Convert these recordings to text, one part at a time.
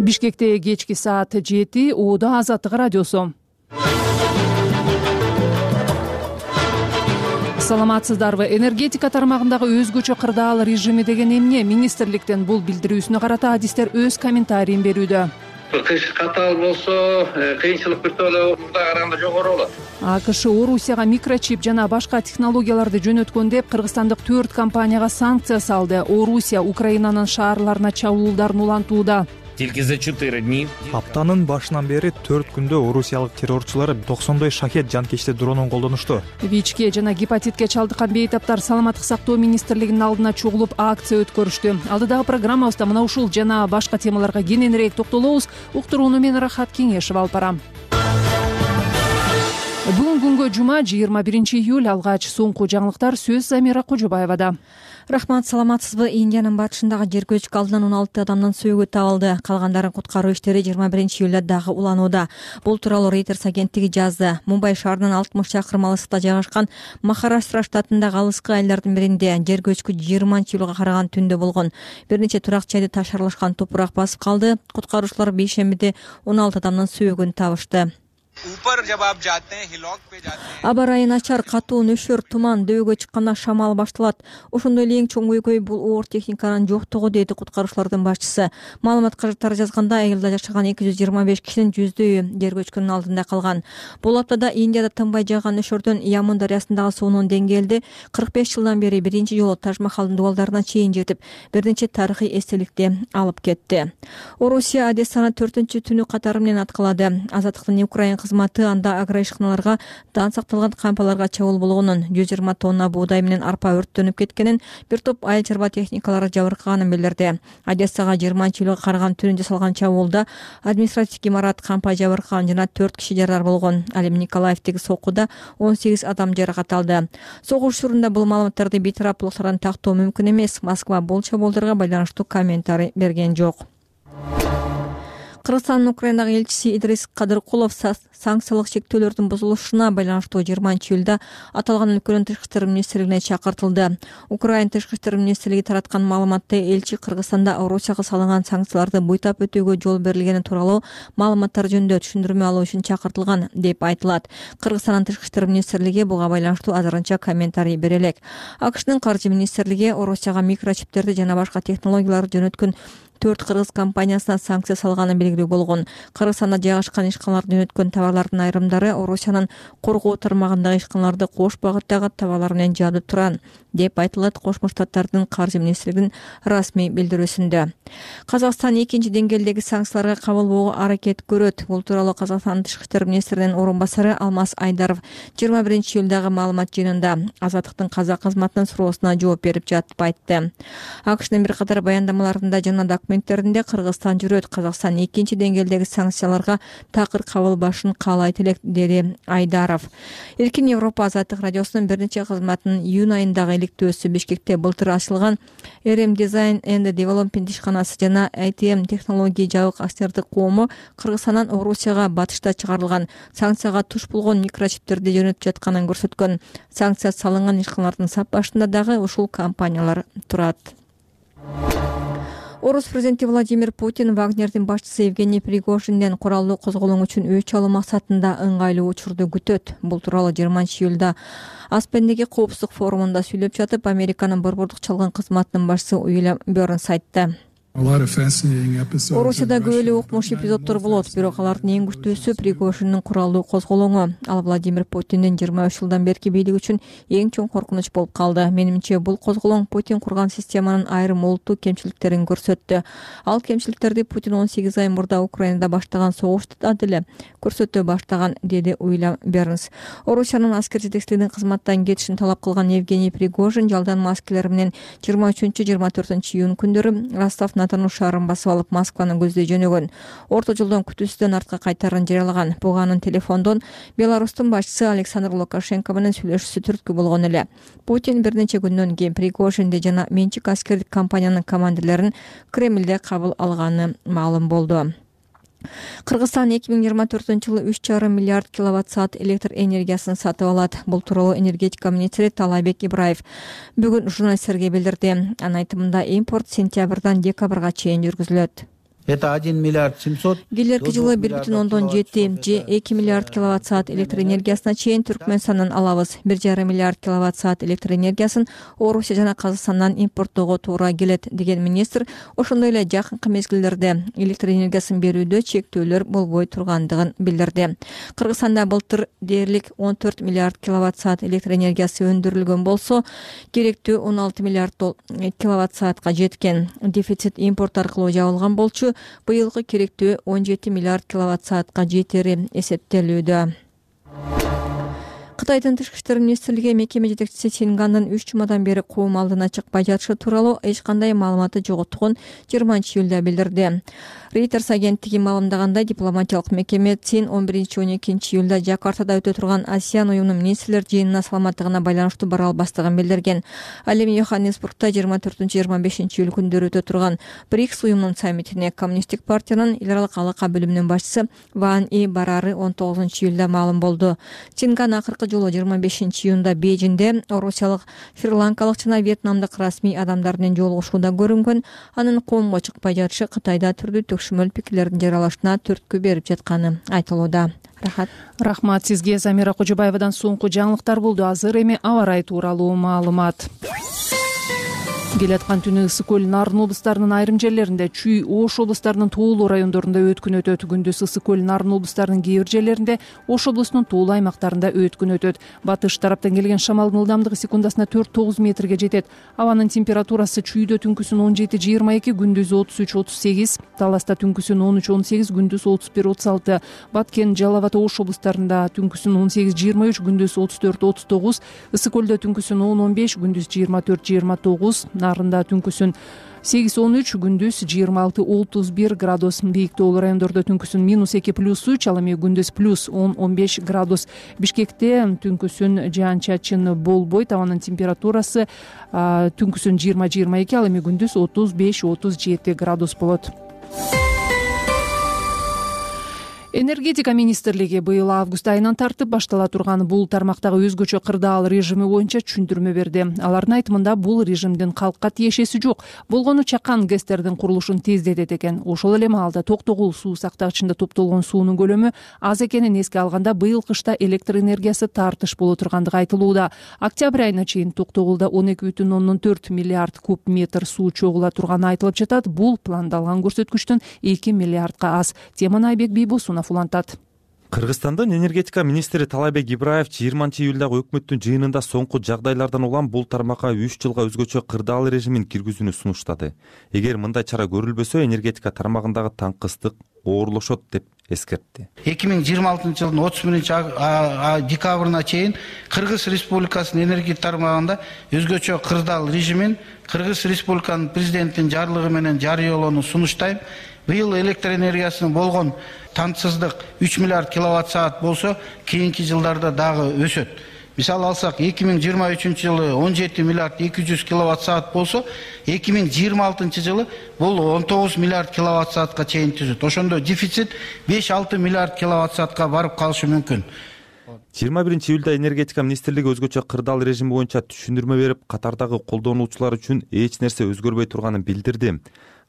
Бишкекте кечки саат 7, Оода Азаттык радиосу. Саламатсыздарбы? Энергетика тармагындагы өзгөчө кырдаал режими деген эмне? Министрликтен бул билдирүүсүнө карата адистер өз комментарийин берүүдө. Кыш катаал болсо, кыйынчылык бир тооло мурдага караганда жогору болот. АКШ Орусияга микрочип жана башка технологияларды жөнөткөн деп кыргызстандык 4 компанияга санкция салды. Орусия Украинанын шаарларына чабуулдарын улантууда. За 4 дни. Аптанын башынан бери 4 күндө орусиялык террорчулар 90 шахет жанкечти дронун колдонушту. ВИЧке жана гепатитке чалдыккан бейтаптар саламаттык сактоо министрлигинин алдына чогулуп акция өткөрүштү. Алдыдагы программабызда мына ушул жана башка темаларга кененирээк токтолобуз. Уктурууну мен Рахат Кеңешева алып барам. Бүгүн күнгө жума 21 июль. Алгач соңку жаңылыктар сөз Замира Кожобаевада. Рахмат, саламатсызбы? Индиянын батышындагы жер көчкү алдынан 16 адамдын сөөгү табылды. Калгандарын куткаруу иштери 21 июлда дагы уланууда. Бул тууралуу Reuters агенттиги жазды. Мумбай шаарынан 60 чакырым алыскта жайгашкан Махараштра штатындагы алыскы айылдардын биринде жер көчкү 20 июлга караган түндө болгон. Бир нече турак жайды таш аралашкан топурак басып калды. Куткаруучулар бейшембиде 16 адамдын сөөгүн табышты. Аба ырайы начар, катуу нөшөр, туман, дөөгө чыкканда шамал башталат. Ошондой эле эң чоң көйгөй бул оор техниканын жоктугу, деди куткаруучулардын башчысы. Маалымат каражаттары жазганда, айылда жашаган 225 кишинин 100дөйү жер көчкүнүн алдында калган. Бул аптада Индияда тынбай жааган нөшөрдөн Ямун дарыясындагы суунун деңгээлди 45 жылдан бери биринчи жолу Таж-Махалдын дубалдарына чейин жетип, бир нече тарыхый эстеликти алып кетти. Орусия Одессаны 4-түнү катары менен аткалады. Азаттыктын Украин кызматы анда агроишканаларга дан сакталган кампаларга чабуул болгонун, 120 тонна буудай менен арпа өрттөнүп кеткенин, бир топ айыл чарба техникалары жабыркаганын билдирди. Одессага 20 июлга караган түнү жасалган чабуулда административдик имарат, кампа жабыркаган жана 4 киши жаралар болгон. Ал эми Николаевдеги сокуда 18 адам жаракат алды. Согуш учурунда бул маалыматтарды бейтараптуулуктардан тактоо мүмкүн эмес. Москва бул чабуулдарга байланыштуу комментарий берген жок. Кыргызстандын Украинадагы элчиси Идрис Кадыркулов санкциялык шектөөлөрдүн бузулушуна байланыштуу 20 июлда аталган өлкөнүн тышкы иштер министрлигине чакыртылды. Украин тышкы иштер министрлиги тараткан маалыматта элчи Кыргызстанда Орусияга салынган санкцияларды буйтап өтүүгө жол берилгени тууралуу маалыматтар жөнүндө түшүндүрмө алуу үчүн чакыртылган деп айтылат. Кыргызстандын тышкы иштер министрлиги буга байланыштуу азырынча комментарий бере элек. АКШнын каржы министрлиги Орусияга микрочиптерди жана башка технологияларды жөнөткөн 4 кыргыз компаниясына санкция салганын белгилүү болгон. Кыргызстанда жайгашкан ишканаларды жөнөткөн товарлардын айрымдары Орусиянын коргоо тармагындагы ишканаларды кош багыттагы товарлар менен жаадып турат деп айтылат Кошмо Штаттардын каржы министрлигинин расмий билдирүүсүндө. Казакстан экинчи деңгээлдеги санкцияларга кабылбоого аракет көрөт. Бул тууралуу Казакстандын тышкы иштер министринин орун басары Алмаз Айдаров 21 июлдагы маалымат жыйынында Азаттыктын казак кызматынын суроосуна жооп берип жатып айтты. АКШнын бир катар баяндамаларында жана документтеринде Кыргызстан жүрөт. Казакстан экинчи деңгээлдеги санкцияларга такыр кабылбашын каалайт элек, деди Айдаров. Эркин Европа Азаттык радиосунун бир нече кызматынын июнь айындагы иликтөөсү Бишкекте былтыр ачылган RM Design and Development ишканасы жана ITM технология жабык акционердик коому Кыргызстандан Орусияга батышта чыгарылган санкцияга туш болгон микрочиптерди жөнөтүп жатканын көрсөткөн. Санкция салынган ишканалардын сапбашында дагы ушул компаниялар турат. Орус президенти Владимир Путин Вагнердин башчысы Евгений Пригожинден куралдуу козголуң үчүн өч алуу максатында ыңгайлуу учурду күтөт. Бул тууралуу 20 июлда Аспендеги коопсуздук форумунда сүйлөп жатып, Американын борбордук чалгын кызматынын башчысы Уильям Бернс айтты. Орусияда көп эле укмуш эпизоддор болот, бирок алардын эң күчтүүсү Пригожиндин куралдуу козголоңу. Ал Владимир Путиндин 23 жылдан берки бийлиги үчүн эң чоң коркунуч болуп калды. Менимче, бул козголоң Путин курган системанын айрым олуттуу кемчиликтерин көрсөттү. Ал кемчиликтерди Путин 18 ай мурда Украинада баштаган согушта деле көрсөтө баштаган, деди Уильям Бернс. Орусиянын аскер жетекчилигинин кызматтан кетишин талап кылган Евгений Пригожин жалданма аскерлер менен 23-24 июнь күндөрү Ростов Натану шаарын басып алып Москваны көздөй жөнөгөн. Орто жолдон күтүүсүздөн артка кайтарын жарыялаган. Буга анын телефондон Беларустун башчысы Александр Лукашенко менен сүйлөшүүсү түрткү болгон эле. Путин бир нече күндөн кийин Пригожинди жана менчик аскердик компаниянын командирлерин Кремлде кабыл алганы маалым болду. Кыргызстан 2024-жылы 3,5 миллиард киловатт-саат электр энергиясын сатып алат. Бул тууралуу энергетика министри Талайбек Ибраев бүгүн журналисттерге билдирди. Анын айтымында импорт сентябрдан декабрга чейин жүргүзүлөт. Это 1 миллиард 700. Келерки жылы 1,7 же 2 миллиард киловатт саат электр энергиясына чейин Түркмөнстандан алабыз. 1,5 миллиард киловатт саат электр энергиясын Орусия жана Казакстандан импорттоого туура келет деген министр ошондой эле жакынкы мезгилдерде электр энергиясын берүүдө чектөөлөр болбой тургандыгын билдирди. Кыргызстанда былтыр дээрлик 14 миллиард киловатт саат электр энергиясы өндүрүлгөн болсо, керектүү 16 миллиард киловатт саатка жеткен. Дефицит импорт аркылуу жабылган болчу. Быйылкы керектүү 17 миллиард киловатт саатка жетери эсептелүүдө. Кытайдын тышкы иштер министрлиги мекеме жетекчиси Синганын 3 жумадан бери коом алдына чыкпай жатышы тууралуу эч кандай маалыматы жоготкун 20-июлда билдирди. Reuters агенттиги маалымдагандай, дипломатиялык мекеме Цин 11-12 июлда Жакартада өтө турган ASEAN уюмунун министрлер жыйынына саламаттыгына байланыштуу бара албастыгын билдирген. Ал эми Йоханнесбургда 24-25 июль күндөрү өтө турган БРИКС уюмунун саммитине Коммунисттик партиянын эл аралык алака бөлүмүнүн башчысы Ван И барары 19 июлда маалым болду. Синган акыркы жолу 25 июнда Бейжинде орусиялык, шри-ланкалык жана вьетнамдык расмий адамдардын жолугушууда көрүнгөн. Анын коомго чыкпай жатышы Кытайда түрдүү төкшөмөл пикирлердин жаралышына түрткү берип жатканы айтылууда. Рахмат сизге. Замира Кожобаевадан соңку жаңылыктар болду. Азыр эми аба ырайы тууралуу маалымат. Келаткан түнү ысык көл Нарын облустарынын айрым жерлеринде, Чүй, Ош облустарынын туулуу райондорунда өткүн өтөт. Күндүз ысык көл Нарын облустарынын кээ бир жерлеринде, Ош облусунун туулуу аймактарында өткүн өтөт. Батыш тараптан келген шамалдын ылдамдыгы секундасына 4-9 метрге жетет. Абанын температурасы Чүйдө түнкүсүн 17-22, күндүз 33-38, Таласта түнкүсүн 13-18, күндүз 31-36, Баткен, Жалал Абад, Ош облустарында түнкүсүн 18-23, күндүз 34-39, ысык көлдө түнкүсүн 10-15, күндүз 24-29, Нарында түнкүсүн 8-13, күндүз 26-31 градус. Бийик тоолуу райондордо түнкүсүн -2+3, ал эми күндүз +10-15 градус. Бишкекте түнкүсүн жаан-чачын болбойт. Абанын температурасы түнкүсүн 20-22, ал эми күндүз 35-37 градус болот. Энергетика министрлиги быйыл август айынан тартып баштала турган бул тармактагы өзгөчө кырдаал режими боюнча түшүндүрмө берди. Алардын айтымында бул режимдин калкка тиешеси жок. Болгону чакан ГЭСтердин курулушун тездетет экен. Ошол эле маалда Токтогул суу сактагычында топтолгон суунун көлөмү аз экенин эске алганда, быйыл кышта электр энергиясы тартыш боло тургандыгы айтылууда. Октябрь айына чейин Токтогулда 12,4 миллиард куб метр суу чогула турганы айтылып жатат. Бул пландалган көрсөткүчтөн 2 миллиардка аз. Теманы Айбек Бийбосунов улантат. Кыргызстандын энергетика министри Талайбек Ибраев 20-июлдагы өкмөттүн жыйынында соңку жагдайлардан улам бул тармакка 3 жылга өзгөчө кырдаал режимин киргизүүнү сунуштады. Эгер мындай чара көрүлбөсө, энергетика тармагындагы таңкыстык оорлошот деп эскертти. 2026 жылдын 31 декабрына чейин Кыргыз Республикасынын энергетика тармагында өзгөчө кырдаал режимин Кыргыз Республиканын президентинин жарлыгы менен жарыялоону сунуштайм. Быйыл электр энергиясынын болгон тантсыздык 3 миллиард киловатт саат болсо, кийинки жылдарда дагы өсөт. Мисалы алсак, 2023 жылы 17 миллиард 200 киловатт саат болсо, 2026 жылы бул 19 миллиард киловатт саатка чейин түзөт. Ошондо дефицит 5-6 миллиард киловатт саатка барып калышы мүмкүн. 21-июлда энергетика министрлиги өзгөчө кырдаал режими боюнча түшүндүрмө берип, катардагы колдонуучулар үчүн эч нерсе өзгөрбөй турганын билдирди.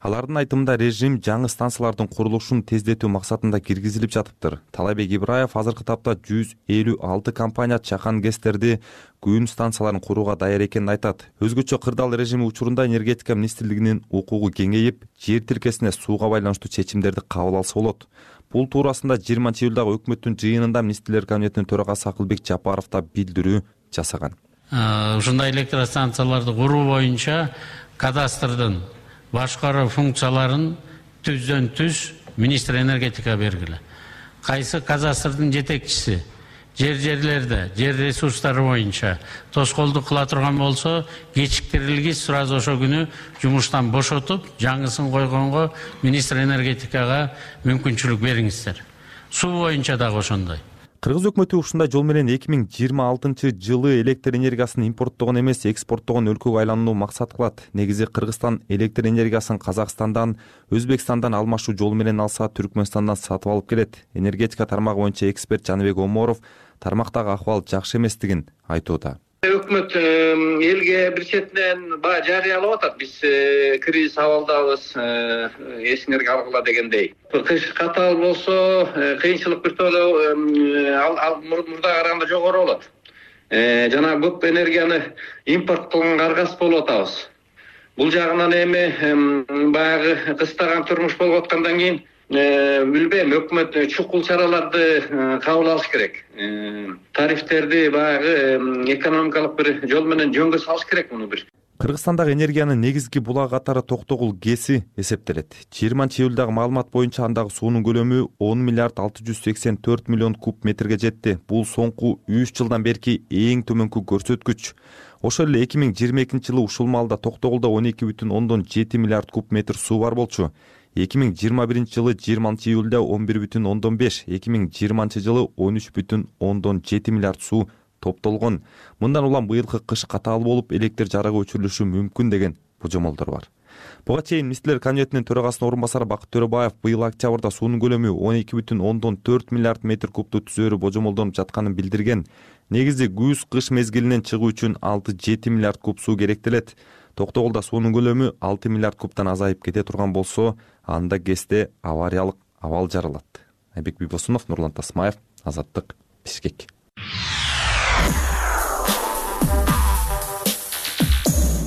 Алардын айтымында режим жаңы станциялардын курулушун тездетүү максатында киргизилип жатыптыр. Талайбек Ибраев азыркы тапта 156 компания чакан ГЭСтерди, күн станцияларын курууга даяр экенин айтат. Өзгөчө кырдаал режими учурунда энергетика министрлигинин укугу кеңейип, жер тилкесине сууга байланыштуу чечимдерди кабыл алса болот. Бул туурасында 20-июлдагы өкмөттүн жыйынында министрлер кабинетинин төрагасы Акылбек Жапаров да билдирүү жасаган. Ушундай электростанцияларды куруу боюнча кадастрдын башкаруу функцияларын түздөн түз министр энергетика бергиле. Кайсы кадастрдын жетекчиси жерлерде жер ресурстары боюнча тоскоолдук кыла турган болсо, кечиктирилгис сразу ошо күнү жумуштан бошотуп, жаңысын койгонго министр энергетикага мүмкүнчүлүк бериңиздер. Суу боюнча дагы ошондой. Кыргыз өкмөтү ушундай жол менен 2026 жылы электр энергиясын импорттогон эмес, экспорттогон өлкөгө айланууну максат кылат. Негизи Кыргызстан электр энергиясын Казакстандан, Өзбекстандан алмашуу жолу менен алса, Түркмөнстандан сатып алып келет. Энергетика тармагы боюнча эксперт Жаныбек Оморов тармактагы акыбал жакшы эместигин айтууда. Өкмөт элге бир четинен баягы жарыялап атат. Биз кризис абалдабыз, эсиңерге алгыла дегендей. Кыш катаал болсо, кыйынчылык бир толо мурда караганда жогору болот. Жана көп энергияны импорт кылганга аргасыз болуп атабыз. Бул жагынан эми баягы кыстаган турмуш болуп аткандан кийин билбейм, өкмөт чукул чараларды кабыл алыш керек. Тарифтерди баягы экономикалык бир жол менен жөнгө салыш керек муну бир. Кыргызстандагы энергиянын негизги булак катары Токтогул ГЭСи эсептелет. 20-июлдагы маалымат боюнча андагы суунун көлөмү 10 миллиард 684 миллион куб метрге жетти. Бул соңку 3 жылдан берки эң төмөнкү көрсөткүч. Ошол эле 2022-жылы ушул маалда Токтогулда 12,7 миллиард куб метр суу бар болчу. 2021-жылы 20-июлда 11,5, 2020-жылы 13,7 миллиард суу топтолгон. Мындан улам быйылкы кыш катаал болуп, электр жарыгы өчүрүлүшү мүмкүн деген божомолдор бар. Буга чейин Министрлер Кабинетинин төрагасынын орун басары Бакыт Төрөбаев быйыл октябрда суунун көлөмү 12,4 миллиард метр кубту түзөөрү божомолдонуп жатканын билдирген. Негизи күз-кыш мезгилинен чыгуу үчүн 6-7 миллиард куб суу керектелет. Токтогулда суунун көлөмү 6 миллиард кубтан азайып кете турган болсо, анда ГЭСте авариялык абал жаралат. Айбек Бибосунов, Нурлан Тасмаев, Азаттык, Бишкек.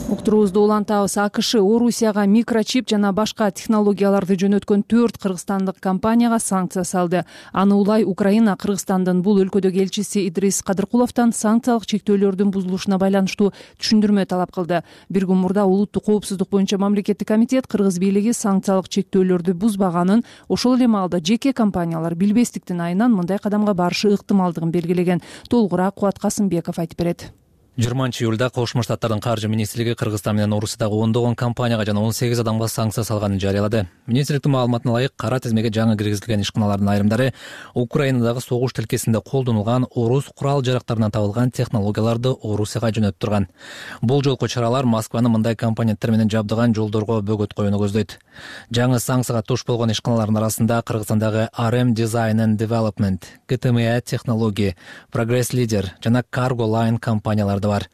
Уктуруубузду улантабыз. АКШ Орусияга микрочип жана башка технологияларды жөнөткөн 4 кыргызстандык компанияга санкция салды. Аны улай Украина Кыргызстандын бул өлкөдөгү элчиси Идрис Кадыркуловдон санкциялык чектөөлөрдүн бузулушуна байланыштуу түшүндүрмө талап кылды. Бир күн мурда улуттук коопсуздук боюнча мамлекеттик комитет кыргыз бийлиги санкциялык чектөөлөрдү бузбаганын, ошол эле маалда жеке компаниялар билбестиктин айынан мындай кадамга барышы ыктымалдыгын белгилеген. Толугураак Кубат Касымбеков айтып берет. 20-июлда Кошмо Штаттардын каржы министрлиги Кыргызстан менен Орусиядагы ондогон компанияга жана 18 адамга санкция салганын жарыялады. Министрликтин маалыматына ылайык, кара тизмеге жаңы киргизилген ишканалардын айрымдары Украинадагы согуш тилкесинде колдонулган орус курал-жарактарынан табылган технологияларды Орусияга жөнөтүп турган. Бул жолку чаралар Москваны мындай компоненттер менен жабдыган жолдорго бөгөт коюуну көздөйт. Жаңы санкцияга туш болгон ишканалардын арасында Кыргызстандагы RM Design and Development, GTMA Technology, Progress Leader жана Cargo Line компаниялары бар.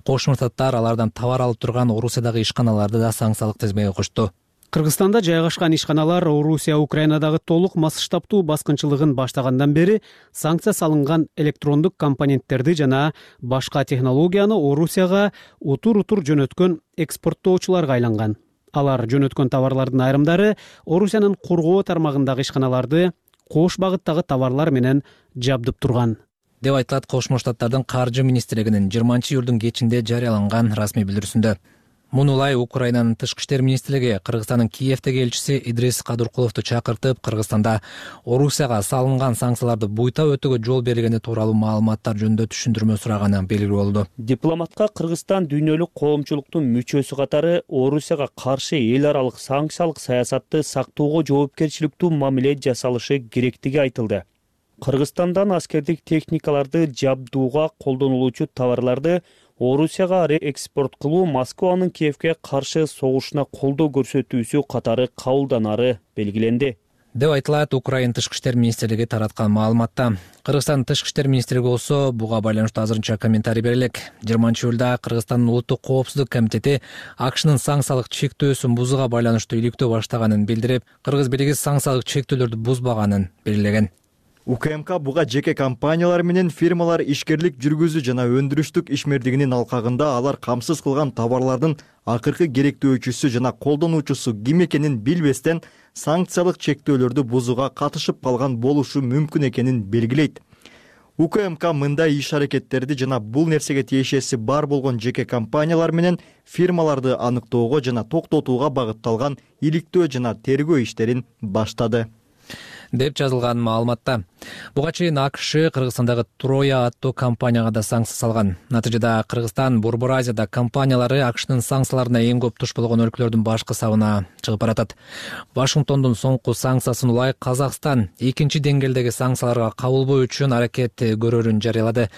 Кошмо Штаттар алардан товар алып турган Орусиядагы ишканаларды да санкциялык тизмеге кошту. Кыргызстанда жайгашкан ишканалар Орусия Украинадагы толук масштабтуу баскынчылыгын баштагандан бери санкция салынган электрондук компоненттерди жана башка технологияны Орусияга утур-утур жөнөткөн экспорттоочуларга айланган. Алар жөнөткөн товарлардын айрымдары Орусиянын коргоо тармагындагы ишканаларды кош багыттагы товарлар менен жабдып турган, деп айтылат Кошмо Штаттардын каржы министрлигинин 20-июлдун кечинде жарыяланган расмий билдирүүсүндө. Муну улай Украинанын тышкы иштер министрлиги Кыргызстандын Киевдеги элчиси Идрис Кадыркуловду чакыртып, Кыргызстанда Орусияга салынган санкцияларды буйта өтүүгө жол бергени тууралуу маалыматтар жөнүндө түшүндүрмө сураганы белгилүү болду. Дипломатка Кыргызстан дүйнөлүк коомчулуктун мүчөсү катары Орусияга каршы эл аралык санкциялык саясатты сактоого жоопкерчиликтүү мамиле жасалышы керектиги айтылды. Кыргызстандан аскердик техникаларды жабдууга колдонулуучу товарларды Орусияга реэкспорт кылуу Москванын Киевге каршы согушуна колдоо көрсөтүүсү катары кабылданары белгиленди, деп айтылат Украина тышкы иштер министрлиги тараткан маалыматта. Кыргызстандын тышкы иштер министрлиги болсо буга байланыштуу азырынча комментарий бере элек. 20-июлда Кыргызстандын улуттук коопсуздук комитети АКШнын санкциялык чектөөсүн бузууга байланыштуу иликтөө баштаганын билдирип, кыргыз бийлиги санкциялык чектөөлөрдү бузбаганын белгилеген. УКМК буга жеке компаниялар менен фирмалар ишкерлик жүргүзүү жана өндүрүштүк ишмердигинин алкагында алар камсыз кылган товарлардын акыркы керектөөчүсү жана колдонуучусу ким экенин билбестен санкциялык чектөөлөрдү бузууга катышып калган болушу мүмкүн экенин белгилейт. УКМК мындай иш-аракеттерди жана бул нерсеге тиешеси бар болгон жеке компаниялар менен фирмаларды аныктоого жана токтотууга багытталган иликтөө жана тергөө иштерин баштады, деп жазылган маалыматта. Буга чейин АКШ Кыргызстандагы Троя аттуу компанияга да санкция салган. Натыйжада Кыргызстан Борбор Азияда компаниялары АКШнын санкцияларына эң көп туш болгон өлкөлөрдүн башкы сабына чыгып баратат. Вашингтондун соңку санкциясын улай Казакстан экинчи деңгээлдеги санкцияларга кабылбоо үчүн аракет көрөрүн жарыялады.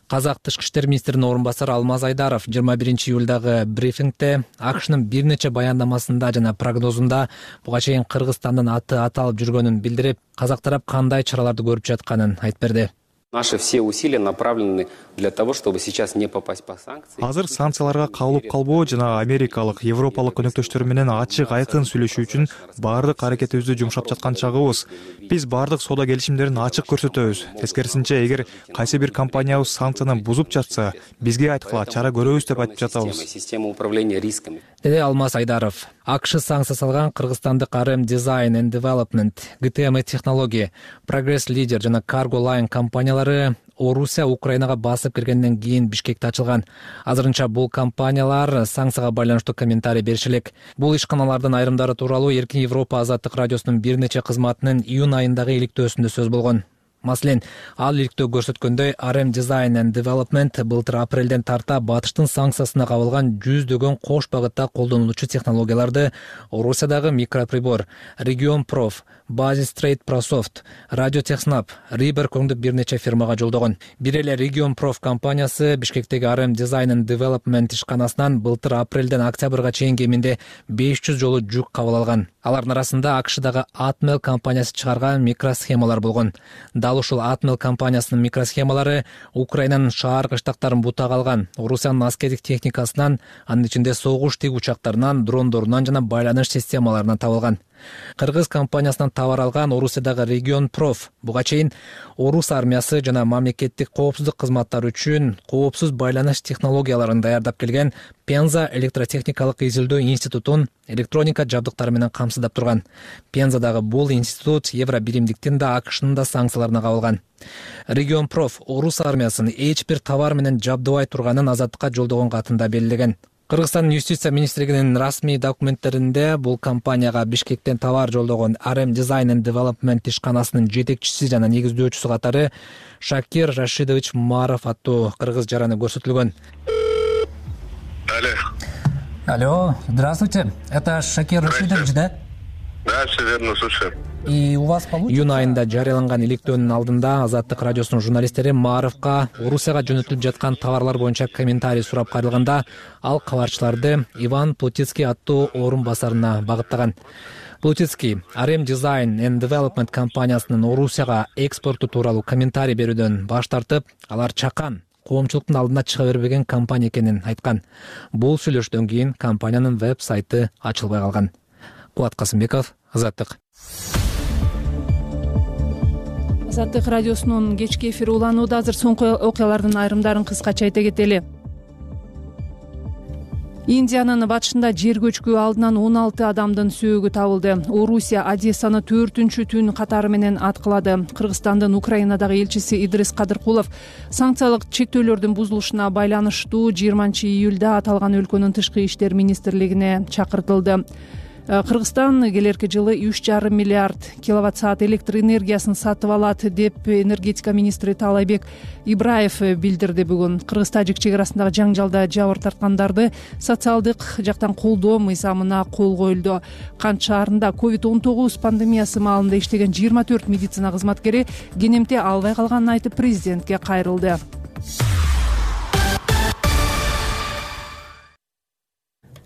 Казак тышкы иштер министринин орун басары Алмаз Айдаров 21-июлдагы брифингде АКШнын бир нече баяндамасында жана прогнозунда буга чейин Кыргызстандын аты аталып жүргөнүн билдирип, казак тарап кандай чараларды көрүп жатканын айтып берди. Наши все усилия направлены для того, чтобы сейчас не попасть по санкции. Азыр санкцияларга кабылып калбоо жана америкалык, европалык өнөктөштөр менен ачык айкын сүйлөшүү үчүн баардык аракетибизди жумшап жаткан чагыбыз. Биз баардык соода келишимдерин ачык көрсөтөбүз. Тескерисинче, эгер кайсы бир компаниябыз санкцияны бузуп жатса, бизге айткыла чара көрөбүз деп айтып жатабыз. Система управления рисками. Деди Алмаз Айдаров. АКШ санкция салган кыргызстандык RM Design and Development, GTM Технология, Progress Leader жана Cargo Line компаниялары Орусия Украинага басып киргенден кийин Бишкекте ачылган. Азырынча бул компаниялар санкцияга байланыштуу комментарий бериши элек. Бул ишканалардын айрымдары тууралуу Эркин Европа азаттык радиосунун бир нече кызматынын июнь айындагы иликтөөсүндө сөз болгон. Маселен, ал иликтөө көрсөткөндөй, RM Design and Development былтыр апрелден тарта батыштын санкциясына кабылган жүздөгөн кош багытта колдонулуучу технологияларды Орусиядагы Микроприбор, Region Prof, Basis Trade Prosoft, Radio Technap, Riber көңдөп бир нече фирмага жолдогон. Бир эле Region Prof компаниясы Бишкектеги RM Design and Development ишканасынан былтыр апрелден октябрга чейин кеминде 500 жолу жүк кабыл алган. Алардын арасында АКШдагы Atmel компаниясы чыгарган микросхемалар болгон. Дал ушул Atmel компаниясынын микросхемалары Украинанын шаар кыштактарын бутага алган, Орусиянын аскердик техникасынан, анын ичинде согуш тиг учактарынан, дрондорунан жана байланыш системаларынан табылган. Кыргыз компаниясынан товар алган Орусиядагы Region Prof буга чейин Орус армиясы жана мамлекеттик коопсуздук кызматтары үчүн коопсуз байланыш технологияларын даярдап келген Пенза электротехникалык изилдөө институтун электроника жабдыктары менен камсыздап турган. Пензадагы бул институт Евро биримдиктин да АКШнын да санкцияларына кабылган. Region Prof Орус армиясын эч бир товар менен жабдыбай турганын азаттыкка жолдогон катында белгилеген. Кыргызстандын юстиция министрлигинин расмий документтеринде бул компанияга Бишкектен товар жолдогон RM Design and Development ишканасынын жетекчиси жана негиздөөчүсү катары Шакир Рашидович Маров аттуу кыргыз жараны көрсөтүлгөн. Алло, здравствуйте. Это Шакир Рашидович, да? Да, все верно, слушаю. И у вас получится... Июнь айында жарыяланган иликтөөнүн алдында Азаттык радиосунун журналисттери Маровго Орусияга жөнөтүлүп жаткан товарлар боюнча комментарий сурап кайрылганда, ал кабарчыларды Иван Плутицкий аттуу орун басарына багыттаган. Плутицкий RM Design and Development компаниясынын Орусияга экспорту тууралуу комментарий берүүдөн баш тартып, алар чакан, коомчулуктун алдына чыга бербеген компания экенин айткан. Бул сүйлөшүүдөн кийин компаниянын веб-сайты ачылбай калган. Кубат Касымбеков, Азаттык. Азаттык радиосунун кечки эфири уланууда. Азыр соңку окуялардын айрымдарын кыскача айта кетели. Индиянын батышында жер көчкү алдынан 16 адамдын сөөгү табылды. Орусия Одессаны 4-түн түн катары менен аткылады. Кыргызстандын Украинадагы элчиси Идрис Кадыркулов санкциялык чектөөлөрдүн бузулушуна байланыштуу 20-июлда аталган өлкөнүн тышкы иштер министрлигине чакыртылды. Кыргызстан келерки жылы 3,5 миллиард киловатт-саат электр энергиясын сатып алат деп энергетика министри Таалайбек Ибраев билдирди бүгүн. Кыргыз-тажик чек арасындагы жаңжалда жабыр тарткандарды социалдык жактан колдоо мыйзамына кол коюлду. Кант шаарында COVID-19 пандемиясы маалында иштеген 24 медицина кызматкери кенемте албай калганын айтып президентке кайрылды.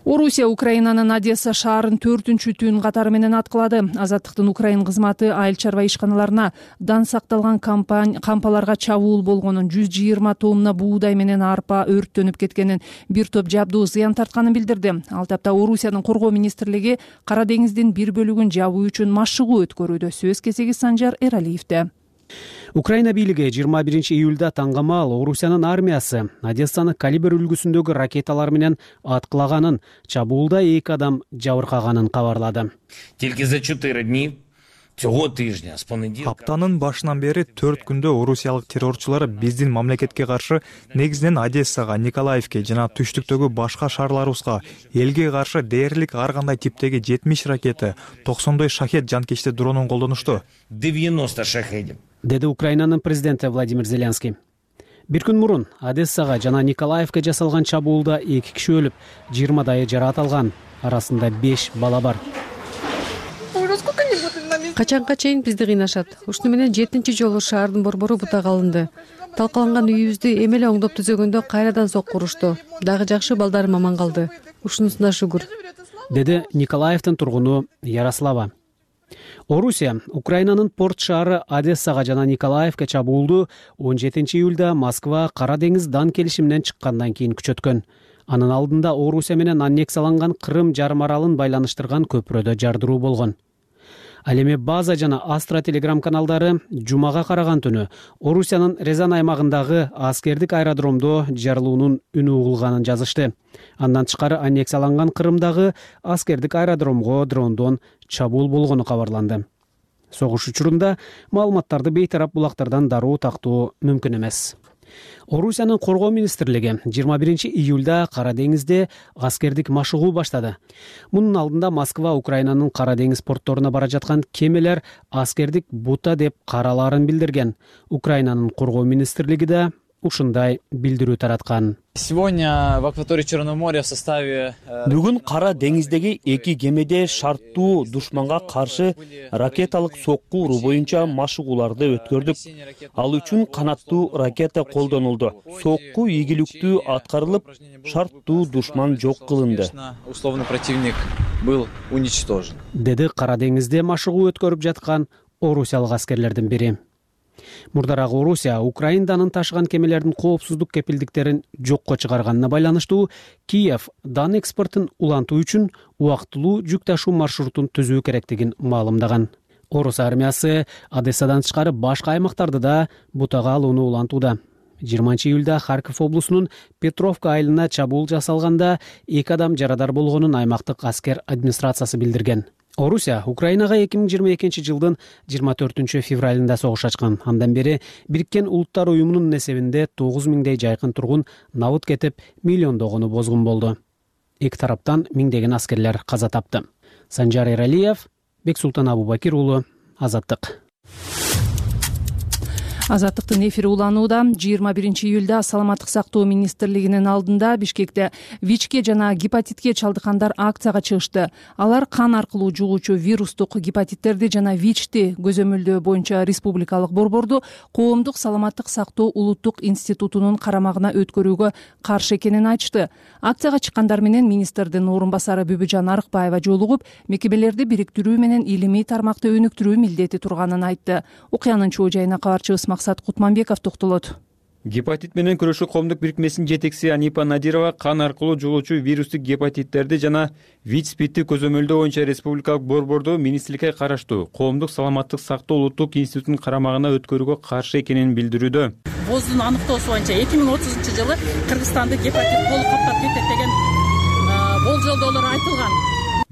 Орусия Украинанын Одесса шаарын 4-түн түн катары менен аткылады. Азаттыктын Украин кызматы айыл чарба ишканаларына дан сакталган кампаларга чабуул болгонун, 120 тонна буудай менен арпа өрттөнүп кеткенин, бир топ жабдуу зыян тартканын билдирди. Ал тапта Орусиянын коргоо министрлиги Кара деңиздин бир бөлүгүн жабуу үчүн машыгуу өткөрүүдө. Сөз кезеги Санжар Эралиевде. Украина бийлиги 21-июлда таңгамал Орусиянын армиясы Одессаны калибр үлгүсүндөгү ракеталар менен аткылаганын, чабуулда 2 адам жабыркаганын кабарлады. Тільки за 4 дні цього тижня з понеділка Аптанын башынан бери 4 күндө орусиялык террорчулар биздин мамлекетке каршы, негизинен Одессага, Николаевке жана түштүктөгү башка шаарларыбызга элге каршы дээрлик ар кандай типтеги 70 ракета, 90 шахет жанкечти дронун колдонушту. 90 шахедів. Деди Украинанын президенти Владимир Зеленский. Бир күн мурун Одессага жана Николаевке жасалган чабуулда 2 киши өлүп, 20 жараат алган, арасында 5 бала бар. Качанга чейин бизди кыйнашат. Ушуну менен 7-чи жолу шаардын борбору бутага алынды. Талкаланган үйүбүздү эмеле оңдоп түзөгөндө кайрадан сокку урушту. Дагы жакшы балдарым аман калды. Ушунусуна шүгүр. Деди Николаевдин тургуну Ярослава. Орусия Украинанын порт шаары Одессага жана Николаевке чабуулду 17 июлда Москва Кара деңиз дан келишиминен чыккандан кийин күчөткөн. Анын алдында Орусия менен аннексияланган Крым жарым аралын байланыштырган көпүрөдө жардыруу болгон. Ал эми База жана Астра телеграм каналдары жумага караган түнү Орусиянын Резан аймагындагы аскердик аэродромдо жарылуунун үнү угулганын жазышты. Андан тышкары аннексияланган Крымдагы аскердик аэродромго дрондон чабуул болгону кабарланды. Согуш учурунда маалыматтарды бейтарап булактардан дароо тактоо мүмкүн эмес. Орусиянын коргоо министрлиги 21 июлда Кара деңизде аскердик машыгуу баштады. Мунун алдында Москва Украинанын Кара деңиз портторуна бара жаткан кемелер аскердик бута деп каралаарын билдирген. Украинанын коргоо министрлиги да ушундай билдирүү тараткан. Сегодня в акватории Черного моря в составе Бүгүн Кара деңиздеги эки кемеде шарттуу душманга каршы ракеталык сокку уруу боюнча машыгууларды өткөрдүк. Ал үчүн канаттуу ракета колдонулду. Сокку ийгиликтүү аткарылып, шарттуу душман жок кылынды. Условный противник был уничтожен. Деди Кара деңизде машыгуу өткөрүп жаткан орусиялык аскерлердин бири. Мурдарак Орусия Украинданын ташыган кемелердин коопсуздук кепилдиктерин жокко чыгарганына байланыштуу Киев дан экспортун улантуу үчүн убактылуу жүк ташуу маршрутун түзүү керектигин маалымдаган. Орус армиясы Одессадан тышкары башка аймактарды да бутага алууну улантууда. 20 июлда Харьков облусунун Петровка айылына чабуул жасалганда 2 адам жарадар болгонун аймактык аскер администрациясы билдирген. Орусия Украинага 2022 жылдын 24 февралында согуш ачкан. Андан бери Бириккен Улуттар уюмунун эсебинде 9000дей жайкын тургун набыт кетип, миллиондогону бозгун болду. Эки тараптан миңдеген аскерлер каза тапты. Санжар Эралиев, Бексултан Абубакир уулу, Азаттык. Азаттыктын эфири уланууда. 21 июлда Саламаттык сактоо министрлигинин алдында Бишкекте ВИЧке жана гепатитке чалдыккандар акцияга чыгышты. Алар кан аркылуу жугуучу вирустук гепатиттерди жана ВИЧти көзөмөлдөө боюнча республикалык борборду Коомдук саламаттык сактоо улуттук институтунун карамагына өткөрүүгө каршы экенин айтышты. Акцияга чыккандар менен министрдин орун басары Бүбүжан Арыкбаева жолугуп, мекемелерди бириктирүү менен илимий тармакты өнүктүрүү милдети турганын айтты. Окуянын чоо жайына кабарчыбыз Максат Кутманбеков токтолот. Гепатит менен күрөшүү коомдук бирикмесинин жетекчиси Анипа Надирова кан аркылуу жугуучу вирустук гепатиттерди жана ВИЧ-СПИДти көзөмөлдөө боюнча республикалык борборду министрликке караштуу Коомдук саламаттык сактоо улуттук институтунун карамагына өткөрүүгө каршы экенин билдирүүдө. ВОЗдун аныктоосу боюнча 2030 жылы Кыргызстанды гепатит толук каптап кетет деген болжолдоолор айтылган.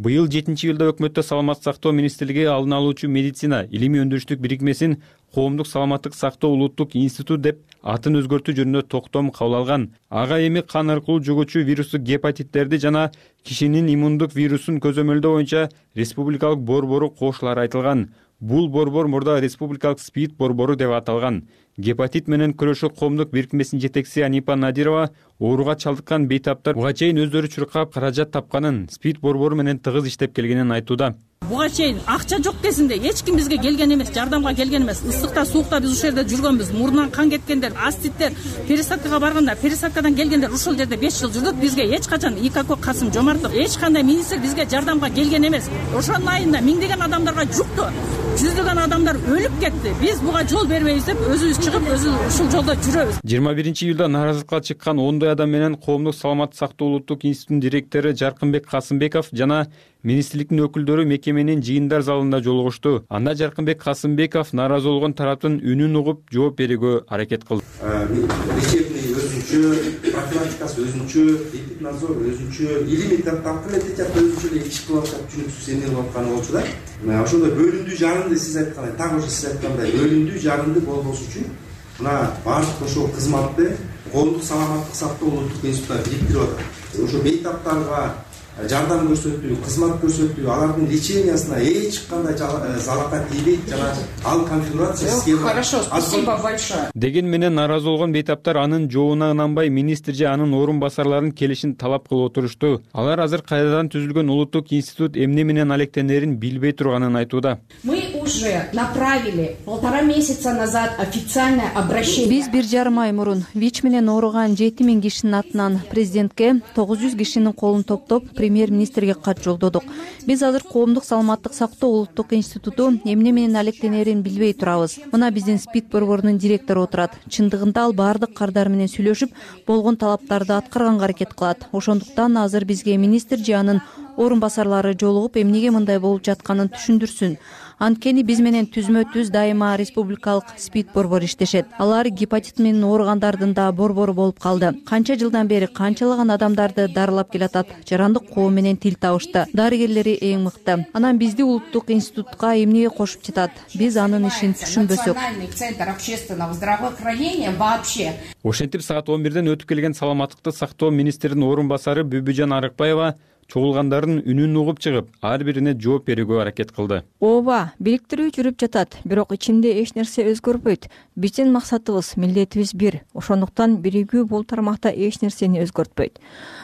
Быйыл 7 июлда өкмөттө саламаттык сактоо министрлиги алдын алуучу медицина илимий өндүрүштүк бирикмесин Коомдук саламаттык сактоо улуттук институт деп атын өзгөртүү жөнүндө токтом кабыл алган. Ага эми кан аркылуу жугуучу вирустук гепатиттерди жана кишинин иммундук вирусун көзөмөлдөө боюнча республикалык борбору кошулары айтылган. Бул борбор мурда республикалык СПИД борбору деп аталган. Гепатит менен күрөшүү коомдук бирикмесинин жетекчиси Анипа Надирова ооруга чалдыккан бейтаптар буга чейин өздөрү чуркап каражат тапканын, СПИД борбору менен тыгыз иштеп келгенин айтууда. Буга чейин акча жок кезинде эч ким бизге келген эмес, жардамга келген эмес. Ысыкта, суукта биз ушул жерде жүргөнбүз. Мурунан кан кеткендер, аститтер, пересадкага барганда, пересадкадан келгендер ушул жерде 5 жыл жүрдүк. Бизге эч качан ИКК Касым Жомартов эч кандай министр бизге жардамга келген эмес. Ошонун айында миңдеген адамдарга жукту. Жүздөгөн адамдар өлүп кетти. Биз буга жол бербейбиз деп өзүбүз чыгып, ушул жолдо жүрөбүз. 21 июлда нааразылыкка чыккан 10 адам менен Коомдук саламаттык сактоо улуттук институтунун директору Жаркынбек Касымбеков жана министрликтин өкүлдөрү мекеменин жыйындар залында жолугушту. Анда Жаркынбек Касымбеков нааразы болгон тараптын үнүн угуп жооп берүүгө аракет кылды. Лечебный өзүнчө, профилактикасы өзүнчө, эпиднадзор өзүнчө, илимий тармак методика өзүнчө эле иш кылып атат, түшүнүксүз эмне кылып атканы болчу да. Ошондой бөлүндүү жарынды сиз айткандай, так ошо сиз айткандай бөлүндүү жарынды болбош үчүн мына баардык ошол кызматты Коомдук саламаттык сактоо улуттук институтуна бириктирип атат. Ошо бейтаптарга жардам көрсөтүү, кызмат көрсөтүү, алардын лечениясына эч кандай залака тийбейт жана ал конфигурация схема. Хорошо, спасибо большое. Деген менен нааразы болгон бейтаптар анын жообуна ынанбай министр же анын орун басарларынын келишин талап кылып отурушту. Алар азыр кайрадан түзүлгөн улуттук институт эмне менен алектенерин билбей турганын айтууда. Мы уже направили 1,5 месяца назад официальное обращение. Биз 1,5 ай мурун ВИЧ менен ооруган 7000 кишинин атынан президентке 900 кишинин колун топтоп премьер-министрге кат жолдодук. Биз азыр коомдук саламаттык сактоо улуттук институту эмне менен алектенерин билбей турабыз. Мына биздин СПИД борборунун директору отурат. Чындыгында ал баардык кардар менен сүйлөшүп, болгон талаптарды аткарганга аракет кылат. Ошондуктан азыр бизге министр же анын орун басарлары жолугуп, эмнеге мындай болуп жатканын түшүндүрсүн. Анткени биз менен түзмө-түз дайыма республикалык СПИД борбору иштешет. Алар гепатит менен ооругандардын да борбору болуп калды. Канча жылдан бери канчалаган адамдарды дарылап келатат. Жарандык коом менен тил табышты. Дарыгерлери эң мыкты. Анан бизди улуттук институтка эмнеге кошуп жатат? Биз анын ишин түшүнбөсөк. Национальный центр общественного здравоохранения вообще. Ошентип саат 11ден өтүп келген саламаттыкты сактоо министринин орун басары Бүбүжан Арыкбаева чогулгандардын үнүн угуп чыгып, ар бирине жооп берүүгө аракет кылды. Ооба, бириктирүү жүрүп жатат, бирок ичинде эч нерсе өзгөрбөйт. Биздин максатыбыз, милдетибиз бир. Ошондуктан биригүү бул тармакта эч нерсени өзгөртпөйт.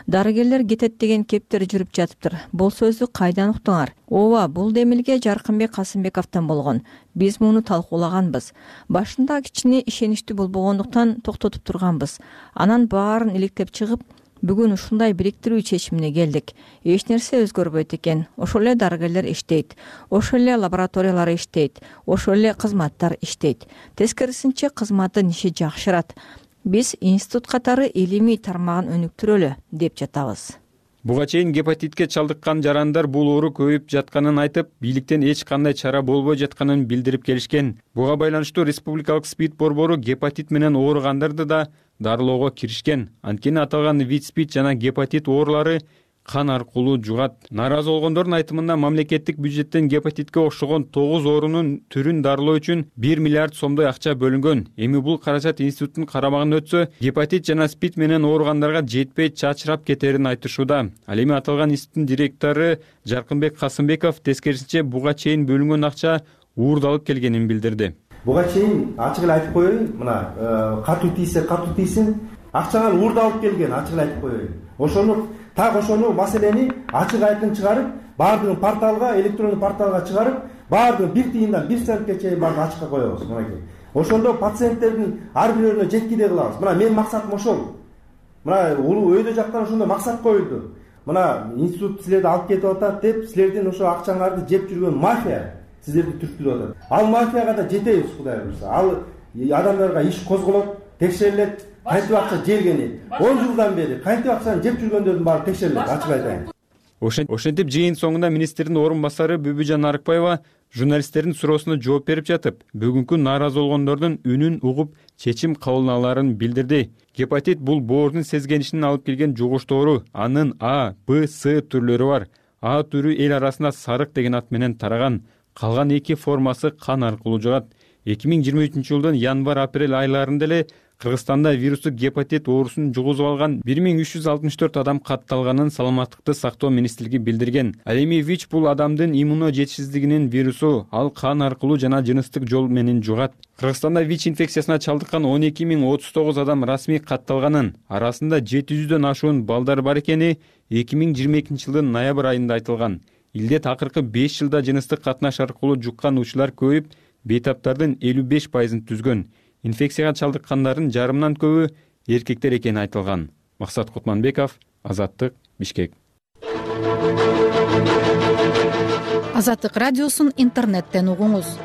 Дарыгерлер кетет деген кептер жүрүп жатыптыр. Бул сөздү кайдан уктуңар? Ооба, бул демилге Жаркынбек Касымбековдон болгон. Биз муну талкуулаганбыз. Башында кичине ишеничтүү болбогондуктан токтотуп турганбыз. Анан баарын иликтеп чыгып, бүгүн ушундай бириктирүү чечимине келдик. Эч нерсе өзгөрбөйт экен. Ошол эле дарыгерлер иштейт, ошол эле лабораториялар иштейт, ошол эле кызматтар иштейт. Тескерисинче кызматтын иши жакшырат. Биз институт катары илимий тармагын өнүктүрөлү деп жатабыз. Буга чейин гепатитке чалдыккан жарандар бул оору көбөйүп жатканын айтып, бийликтен эч кандай чара болбой жатканын билдирип келишкен. Буга байланыштуу республикалык СПИД борбору гепатит менен ооругандарды да дарылоого киришкен. Анткени аталган ВИЧ-СПИД жана гепатит оорулары кан аркылуу жугат. Нааразы болгондордун айтымында мамлекеттик бюджеттен гепатитке окшогон 9 оорунун түрүн дарылоо үчүн 1 миллиард сомдой акча бөлүнгөн. Эми бул каражат институттун карамагына өтсө, гепатит жана СПИД менен ооругандарга жетпей чачырап кетерин айтышууда. Ал эми аталган институттун директору Жаркынбек Касымбеков тескерисинче буга чейин бөлүнгөн акча уурдалып келгенин билдирди. Буга чейин ачык эле айтып коеюн, мына катуу тийсин, акчанын уурдалып келген, ачык эле айтып коеюн. Ошону маселени ачык айкын чыгарып, баардыгын порталга, электрондук порталга чыгарып, баардыгын 1 тыйындан 1 центке чейин баарын ачыкка коебуз. Мынакей. Ошондо пациенттердин ар бирөөнө жеткидей кылабыз. Мына менин максатым ошол. Мына улуу өйдө жактан ошондой максат коюлду. Мына институт силерди алып кетип атат деп, силердин ошо акчаңарды жеп жүргөн мафия сиздерди түрткүлөп атат. Ал мафияга да жетебиз, Кудай буйрса. Ал адамдарга иш козголот, текшерилет. Кантип акча жегени 10 жылдан бери кантип акчаны жеп жүргөндөрдүн баары текшерилет, ачык айтайын. Ошентип жыйын соңунда министрдин орун басары Бүбүжан Арыкбаева журналисттердин суроосуна жооп берип жатып, бүгүнкү нааразы болгондордун үнүн угуп чечим кабыл алаарын билдирди. Гепатит бул боордун сезгенишинен алып келген жугуштуу оору. Анын А, Б, С түрлөрү бар. А түрү эл арасында сарык деген ат менен тараган. Калган 2 формасы кан аркылуу жугат. 2023-жылдын январь-апрель айларында эле Кыргызстанда вирустук гепатит оорусун жугузуп алган 1364 адам катталганын Саламаттыкты сактоо министрлиги билдирген. Ал эми ВИЧ бул адамдын иммуно жетишсиздигинин вирусу, ал кан аркылуу жана жыныстык жол менен жугат. Кыргызстанда ВИЧ инфекциясына чалдыккан 12039 адам расмий катталганын, арасында 700дөн ашуун балдар бар экени 2022-жылдын ноябрь айында айтылган. Илде акыркы 5 жылда жыныстык катнаш аркылуу жуккан учурлар көбөйүп, бейтаптардын 55%-ын түзгөн. Инфекцияга чалдыккандардын жарымынан көбү эркектер экени айтылган. Максат Кутманбеков, Азаттык, Бишкек. Азаттык радиосун интернеттен угуңуз.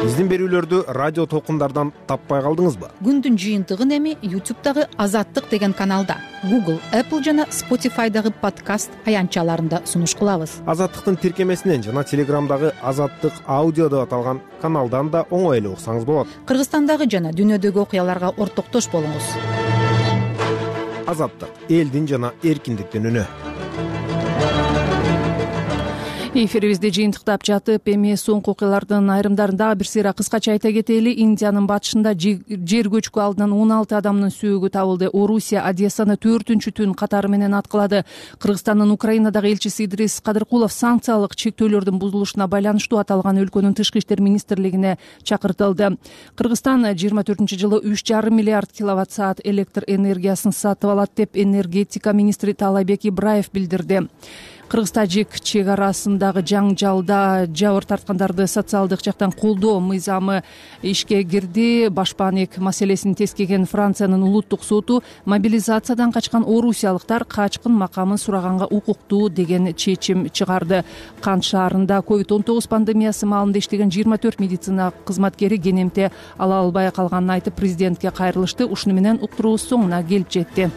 Биздин берүүлөрдү радио толкундардан таппай калдыңызбы? Күндүн жыйынтыгын эми YouTube'дагы Азаттык деген каналда, Google, Apple жана Spotify'дагы подкаст аянтчаларында сунуш кылабыз. Азаттыктын тиркемесинен жана Telegram'дагы Азаттык аудио деп аталган каналдан да оңой эле уксаңыз болот. Кыргызстандагы жана дүйнөдөгү окуяларга ортоктош болуңуз. Азаттык — элдин жана эркиндиктин үнү. Эфирибизди жыйынтыктап жатып, эми соңку окуялардын айрымдарында бир сыйра кыскача айта кетели. Индиянын батышында жер көчкү алдынан 16 адамдын сүйөгү табылды. Орусия Одессаны 4-түн түн катары менен аткылады. Кыргызстандын Украинадагы элчиси Идрис Кадыркулов санкциялык чектөөлөрдүн бузулушуна байланыштуу аталган өлкөнүн тышкы иштер министрлигине чакыртылды. Кыргызстан 24-жылы 3,5 миллиард киловатт-саат электр энергиясын сатып алат деп энергетика министри Таалайбек Ибраев билдирди. Кыргыз-тажик чек арасындагы жаңжалда жабыр тарткандарды социалдык жактан колдоо мыйзамы ишке кирди. Башпаанек маселесин тескеген Франциянын улуттук соту мобилизациядан качкан орусиялыктар качкын макамын сураганга укуктуу деген чечим чыгарды. Кант шаарында COVID-19 пандемиясы маалында иштеген 24 медицина кызматкери кенемте ала албай калганын айтып, президентке кайрылышты. Ушуну менен уктуруубуз соңуна келип жетти.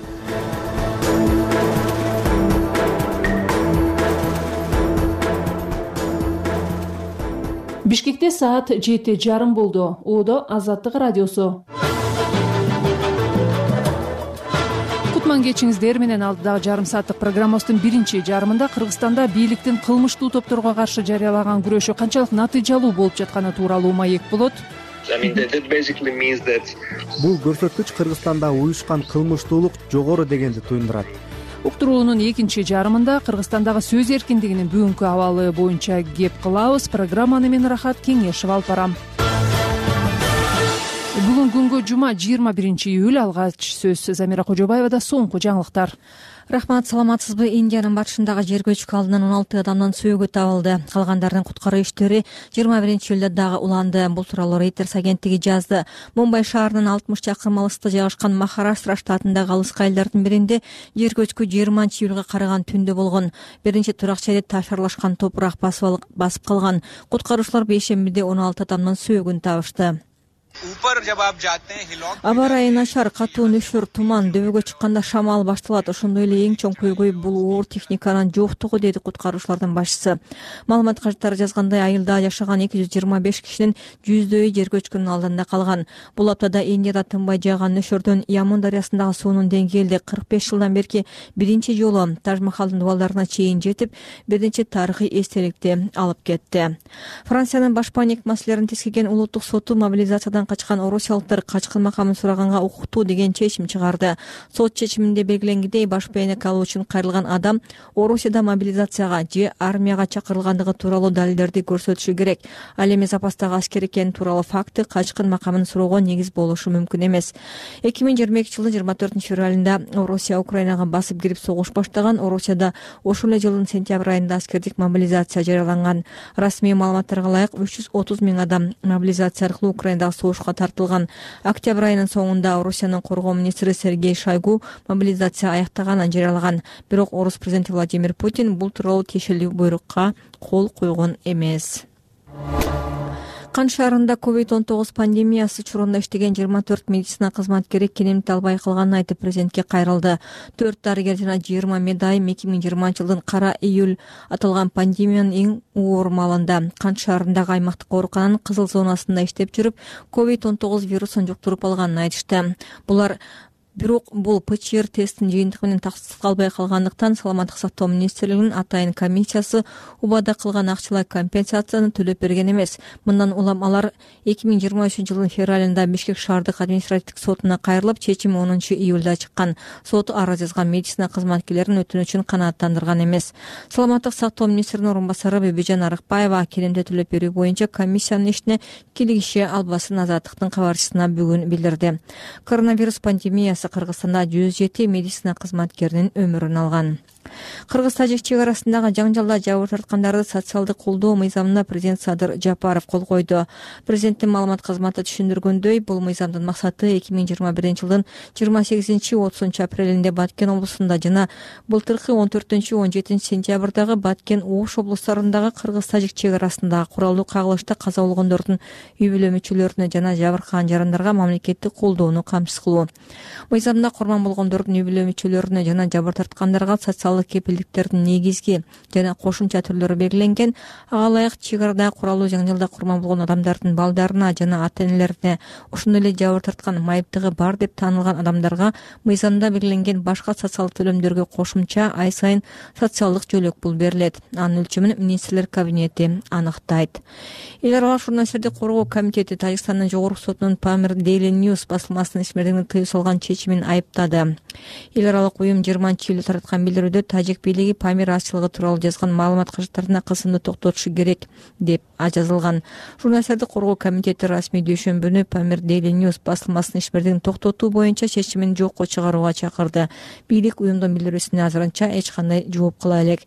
Бишкекте саат 7:30 болду. Оодо Азаттык радиосу. Кутман кечиңиздер менен. Алдыдагы жарым сааттык программабыздын биринчи жарымында Кыргызстанда бийликтин кылмыштуу топторго каршы жарыялаган күрөшү канчалык натыйжалуу болуп жатканы тууралуу маек болот. Бул көрсөткүч Кыргызстанда уюшкан кылмыштуулук жогору дегенди туюндурат. Уктуруунун экинчи жарымында Кыргызстандагы сөз эркиндигинин бүгүнкү абалы боюнча кеп кылабыз. Программаны мен Рахат Кеңешев алып барам. Бүгүн күнгө жума 21 июль. Алгач сөз Замира Кожобаевада. Соңку жаңылыктар. Рахмат, саламатсызбы? Индиянын батышындагы жер көчкү алдынан 16 адамдын сөөгү табылды. Калгандардын куткаруу иштери 21 июлда дагы уланды. Бул тууралуу Reuters агенттиги жазды. Мумбай шаарынын 60 чакырым алыста жайгашкан Махараштра штатындагы алыскы айылдардын биринде жер көчкү 20 июлга караган түндө болгон. Биринчи турак жерде таш аралашкан топурак басып калган. Куткаруучулар бейшембиде 16 адамдын сөөгүн табышты. Аба ырайы начар, катуу нөшөр, туман, дөбөгө чыкканда шамал башталат. Ошондой эле эң чоң көйгөй бул оор техниканын жоктугу, деди куткаруучулардын башчысы. Маалымат кажеттери жазгандай, айылда жашаган 225 кишинин жүздөйү жер көчкүнүн алдында калган. Бул аптада Индияда тынбай жааган нөшөрдөн Ямун дарыясындагы суунун деңгээли 45 жылдан берки биринчи жолу Таж-Махалдын дубалдарына чейин жетип, биринчи тарыхый эстеликти алып кетти. Франциянын башпаанек маселелерин тескеген улуттук соту мобилизациядан качкан орусиялыктар качкын макамын сураганга укуктуу деген чечим чыгарды. Сот чечиминде белгиленгендей, башпаанек алуу үчүн кайрылган адам Орусияда мобилизацияга же армияга чакырылгандыгы тууралуу далилдерди көрсөтүшү керек. Ал эми запастагы аскер экени тууралуу факты качкын макамын суроого негиз болушу мүмкүн эмес. 2022 жылдын 24 февралында Орусия Украинага басып кирип согуш баштаган. Орусияда ошол эле жылдын сентябрь айында аскердик мобилизация жарыяланган. Расмий маалыматтарга ылайык 330 000 адам мобилизация аркылуу Украинадагы согушка тартылган. Октябрь айынын соңунда Орусиянын коргоо министри Сергей Шойгу мобилизация аяктаганын жарыялаган. Бирок орус президенти Владимир Путин бул тууралуу тиешелүү буйрукка кол койгон эмес. Кант шаарында COVID-19 пандемиясы чорунда иштеген 24 медицина кызматкери кенемте албай калганын айтып, президентке кайрылды. 4 дарыгер жана 20 медайым 2020 жылдын кара июль аталган пандемиянын эң оор маалында Кант шаарындагы аймактык оорукананын кызыл зонасында иштеп жүрүп, COVID-19 вирусун жуктуруп алганын айтышты. Бирок бул ПЧР тесттин жыйынтыгы менен тастыкталбай калгандыктан Саламаттык сактоо министрлигинин атайын комиссиясы убада кылган акчалай компенсацияны төлөп берген эмес. Мындан улам алар 2023 жылдын февралында Бишкек шаардык административдик сотуна кайрылып, чечими 10 июлда чыккан. Сот арыз жазган медицина кызматкерлеринин өтүнүчүн канааттандырган эмес. Саламаттык сактоо министринин орун басары Бибижан Арыкбаева кенемте төлөп берүү боюнча комиссиянын ишине кийлигише албасын Азаттыктын кабарчысына бүгүн билдирди. Коронавирус пандемиясы Кыргызстанда 107 медицина кызматкеринин өмүрүн алган. Кыргыз-тажик чек арасындагы жаңжалда жабыр тарткандарды социалдык колдоо мыйзамына президент Садыр Жапаров кол койду. Президенттин маалымат кызматы түшүндүргөндөй, бул мыйзамдын максаты 2021 жылдын 28-30 апрелинде Баткен облусунда жана былтыркы 14-17 сентябрдагы Баткен Ош облустарындагы Кыргыз-тажик чек арасындагы куралдуу кагылышта каза болгондордун үй бүлө мүчөлөрүнө жана жабыркаган жарандарга мамлекеттик колдоону камсыз кылуу. Мыйзамда курман болгондордун үй бүлө мүчөлөрүнө жана жабыр тарткандарга социалдык кепилдиктердин негизги жана кошумча түрлөрү белгиленген. Ага ылайык чек арадагы куралдуу жаңжалда курман болгон адамдардын балдарына жана ата-энелерине, ошондой эле жабыр тарткан, майыптыгы бар деп таанылган адамдарга мыйзамда белгиленген башка социалдык төлөмдөргө кошумча ай сайын социалдык жөлөк пул берилет. Анын өлчөмүн министрлер кабинети аныктайт. Эл аралык журналисттерди коргоо комитети Тажикстандын жогорку сотунун Pamir Daily News басылмасынын ишмердигине тыюу салган чечимин айыптады. Эл аралык уюм 20 июлда тараткан билдирүүдө тажик бийлиги Памир ачылыгы тууралуу жазган маалымат кажеттарына кысымды токтотушу керек деп жазылган. Журналисттерди коргоо комитети расмий дүйшөмбүнү Pamir Daily News басылмасынын ишмердигин токтотуу боюнча чечимин жокко чыгарууга чакырды. Бийлик уюмдун билдирүүсүнө азырынча эч кандай жооп кыла элек.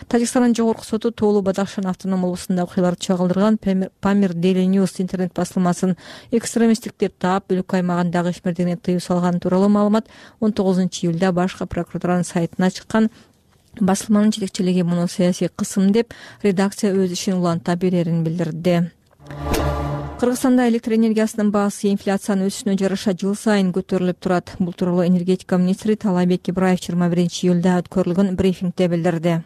Тажикстандын жогорку соту Тоолу Бадахшан автоном облусунда окуяларды чагылдырган Pamir Daily News интернет басылмасын экстремисттик деп таап, өлкө аймагындагы ишмердигине тыюу салган тууралуу маалымат 19-июлда башкы прокуратуранын сайтына чыккан. Басылманын жетекчилиги муну саясий кысым деп редакция өз ишин уланта берерин билдирди. Кыргызстанда электр энергиясынын баасы инфляциянын өсүшүнө жараша жыл сайын көтөрүлүп турат. Бул тууралуу энергетика министри Талайбек Ибраев 21-июлда өткөрүлгөн брифингде билдирди.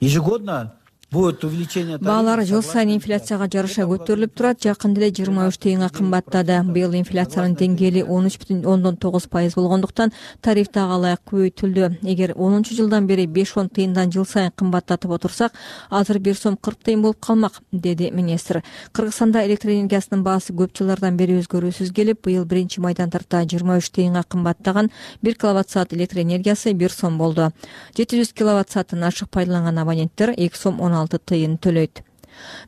Ежегодно будет увеличение. Баалар жыл сайын инфляцияга жараша көтөрүлүп турат. Жакында эле 23 тыйынга кымбаттады. Быйыл инфляциянын деңгээли 13,9% болгондуктан тариф дагы ылайык көбөйтүлдү. Эгер 10-жылдан бери 5-10 тыйындан жыл сайын кымбаттатып отурсак, азыр 1 сом 40 тыйын болуп калмак, деди министр. Кыргызстанда электр энергиясынын баасы көп жылдардан бери өзгөрүүсүз келип, быйыл 1-майдан тарта 23 тыйынга кымбаттаган 1 киловатт-саат электр энергиясы 1 сом болду. 700 киловатт-саатын ашык пайдаланган абоненттер 2 сом 16 тыйын төлөйт.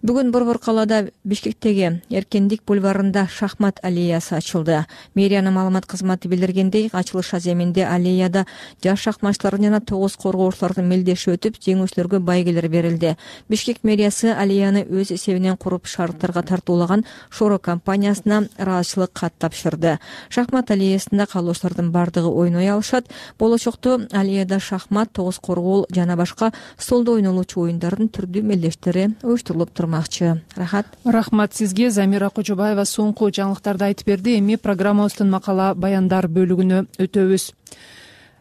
Бүгүн Борбор калаада Бишкектеги Эркендик бульварында шахмат аллеясы ачылды. Мэриянын маалымат кызматы билдиргендей, ачылыш аземинде аллеяда жаш шахматчылардын жана 9 коргоочулардын мелдеши өтүп, жеңүүчүлөргө байгелер берилди. Бишкек мэриясы аллеяны өз эсебинен куруп шаардыктарга тартуулаган Шоро компаниясына ыраазычылык кат тапшырды. Шахмат аллеясында калуучулардын бардыгы ойной алышат. Болочокто аллеяда шахмат, 9 коргоол жана башка столдо ойнолуучу оюндардын түрдүү мелдештери уюштурулуп турмакчы. Рахмат сизге. Замира Кожобаева соңку жаңылыктарды айтып берди. Эми программабыздын макала баяндар бөлүгүнө өтөбүз.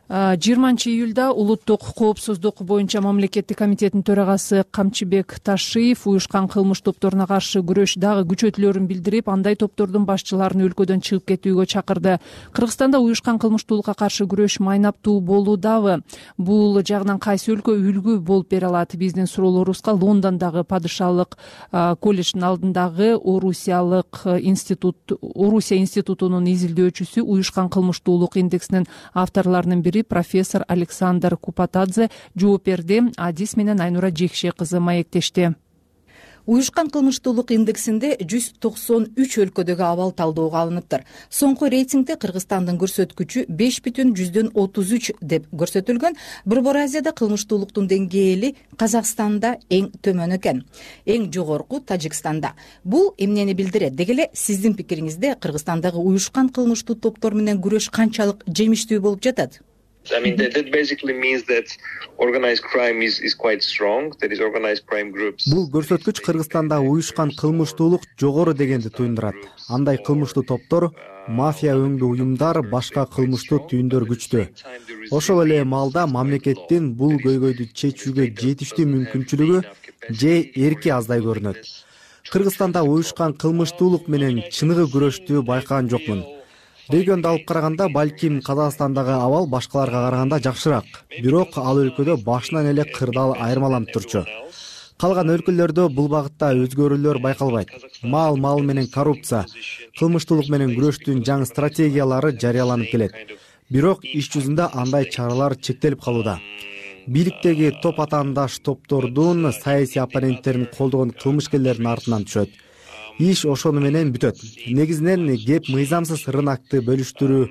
20-июлда улуттук коопсуздук боюнча мамлекеттик комитеттин төрагасы Камчыбек Ташиев уюшкан кылмыш топторуна каршы күрөш дагы күчөтүлөрүн билдирип, андай топтордун башчыларын өлкөдөн чыгып кетүүгө чакырды. Кыргызстанда уюшкан кылмыштуулукка каршы күрөш майнаптуу болуудабы? Бул жагынан кайсы өлкө үлгү болуп бере алат? Биздин суроолорубузга Лондондогу падышалык колледждин алдындагы Орусия институтунун изилдөөчүсү, уюшкан кылмыштуулук индексинин авторлорунун бири профессор Александр Купатадзе жооп берди. Адис менен Айнура Жекше кызы маектешти. Уюшкан кылмыштуулук индексинде 193 өлкөдөгү абал талdoogга алыныптыр. Соңку рейтингде Кыргызстандын көрсөткүчү 5,33 деп көрсөтүлгөн. Борбор Азияда кылмыштуулуктун деңгээли Казакстанда эң төмөн экен, эң жогорку Тажикстанда. Бул эмнени билдирет? Деги эле сиздин пикириңизде Кыргызстандагы уюшкан кылмыштуу топтор менен күрөш канчалык жемиштүү болуп жатат? I mean, that basically means that organized crime is quite strong. There is organized crime groups. Бул көрсөткүч Кыргызстанда уюшкан кылмыштуулук жогору дегенди туюндурат. Андай кылмыштуу топтор, мафия өңдүү уюмдар, башка кылмыштуу түйүндөр күчтүү. Ошол эле маалда мамлекеттин бул көйгөйдү чечүүгө жетиштүү мүмкүнчүлүгү же эрки аздай көрүнөт. Кыргызстанда уюшкан кылмыштуулук менен чыныгы күрөштү байкаган жокмун. Регионду алып караганда, балким Казакстандагы абал башкаларга караганда жакшыраак. Бирок ал өлкөдө башынан эле кырдаал айырмаланып турчу. Калган өлкөлөрдө бул багытта өзгөрүүлөр байкалбайт. Мал менен коррупция, кылмыштуулук менен күрөштүн жаңы стратегиялары жарыяланып келет. Бирок иш жүзүндө андай чаралар чектелип калууда. Бийликтеги топ атаандаш топтордун саясий оппоненттерин колдогон кылмышкерлердин артынан түшөт. Иш ошону менен бүтөт. Негизинен кеп мыйзамсыз рынокты бөлүштүрүү,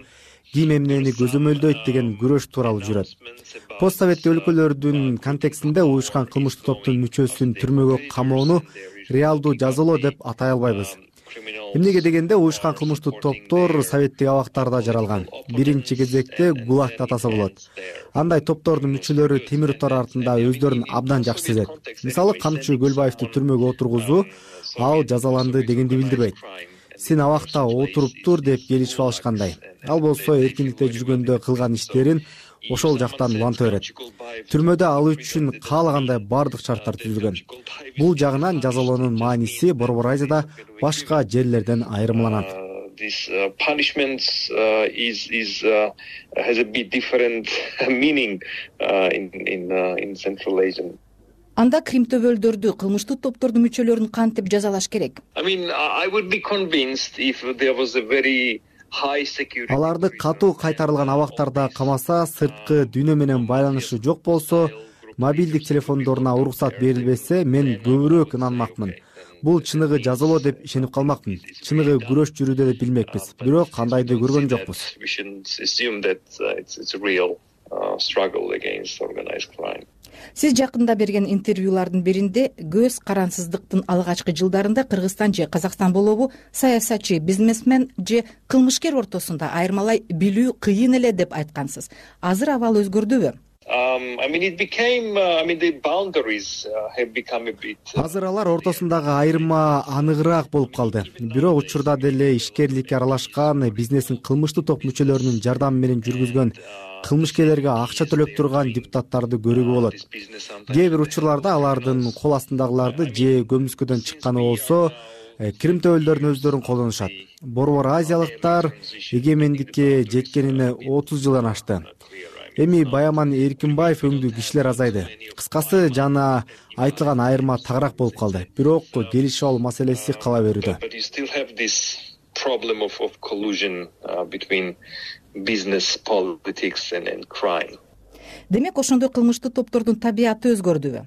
ким эмнени көзөмөлдөйт деген күрөш тууралуу жүрөт. Постсоветтик өлкөлөрдүн контекстинде уюшкан кылмыштуу топтун мүчөсүн түрмөгө камоону реалдуу жазалоо деп атай албайбыз. Эмнеге дегенде, уюшкан кылмыштуу топтор советтик абактарда жаралган. Биринчи кезекте ГУЛАГ атаса болот. Андай топтордун мүчөлөрү темир тор артында өздөрүн абдан жакшы сезет. Мисалы, Камчы Көлбаевди түрмөгө отургузуу, ал жазаланды дегенди билдирбейт. Сен абакта отуруп тур деп келишип алышкандай. Ал болсо эркиндикте жүргөндө кылган иштерин ошол жактан уланта берет. Түрмөдө ал үчүн каалагандай бардык шарттар түзүлгөн. Бул жагынан жазалоонун мааниси Борбор Азияда башка жерлерден айырмаланат. This punishment has a bit different meaning in Central Asia. Анда кримтөбөлдөрдү, кылмыштуу топтордун мүчөлөрүн кантип жазалаш керек? I mean, I would be convinced if there was a very high security. Аларды катуу кайтарылган абактарда камаса, сырткы дүйнө менен байланышы жок болсо, мобилдик телефондоруна уруксат берилбесе, мен көбүрөөк ынанмакмын. бул чыныгы жазалоо деп ишенип калмакмын. Чыныгы күрөш жүрүүдө деп билмекпиз. Бирок кандайды көргөн жокпуз. Сиз жакында берген интервьюлардын биринде көз карансыздыктын алгачкы жылдарында Кыргызстан же Казакстан болобу саясатчы, бизнесмен же кылмышкер ортосунда айырмалай билүү кыйын эле деп айткансыз. Азыр абал өзгөрдүбү? Азыр алар ортосундагы айырма аныгыраак болуп калды. Бирок учурда деле ишкерликке аралашкан, бизнесин кылмыштуу топ мүчөлөрүнүн жардамы менен жүргүзгөн, кылмышкерлерге акча төлөп турган депутаттарды көрүүгө болот. Кээ бир учурларда алардын кол астындагыларды же көмүскөдөн чыкканы болсо, кирим төбөлдөрүн өздөрүн колдонушат. Борбор азиялыктар эгемендикке жеткенине 30 жылдан ашты. Эми Баяман Эркинбаев өңдүү кишилер азайды. Кыскасы жана айтылган айырма тагыраак болуп калды. Бирок келишип алуу маселеси кала берүүдө. Демек, ошондой кылмыштуу топтордун табияты өзгөрдүбү?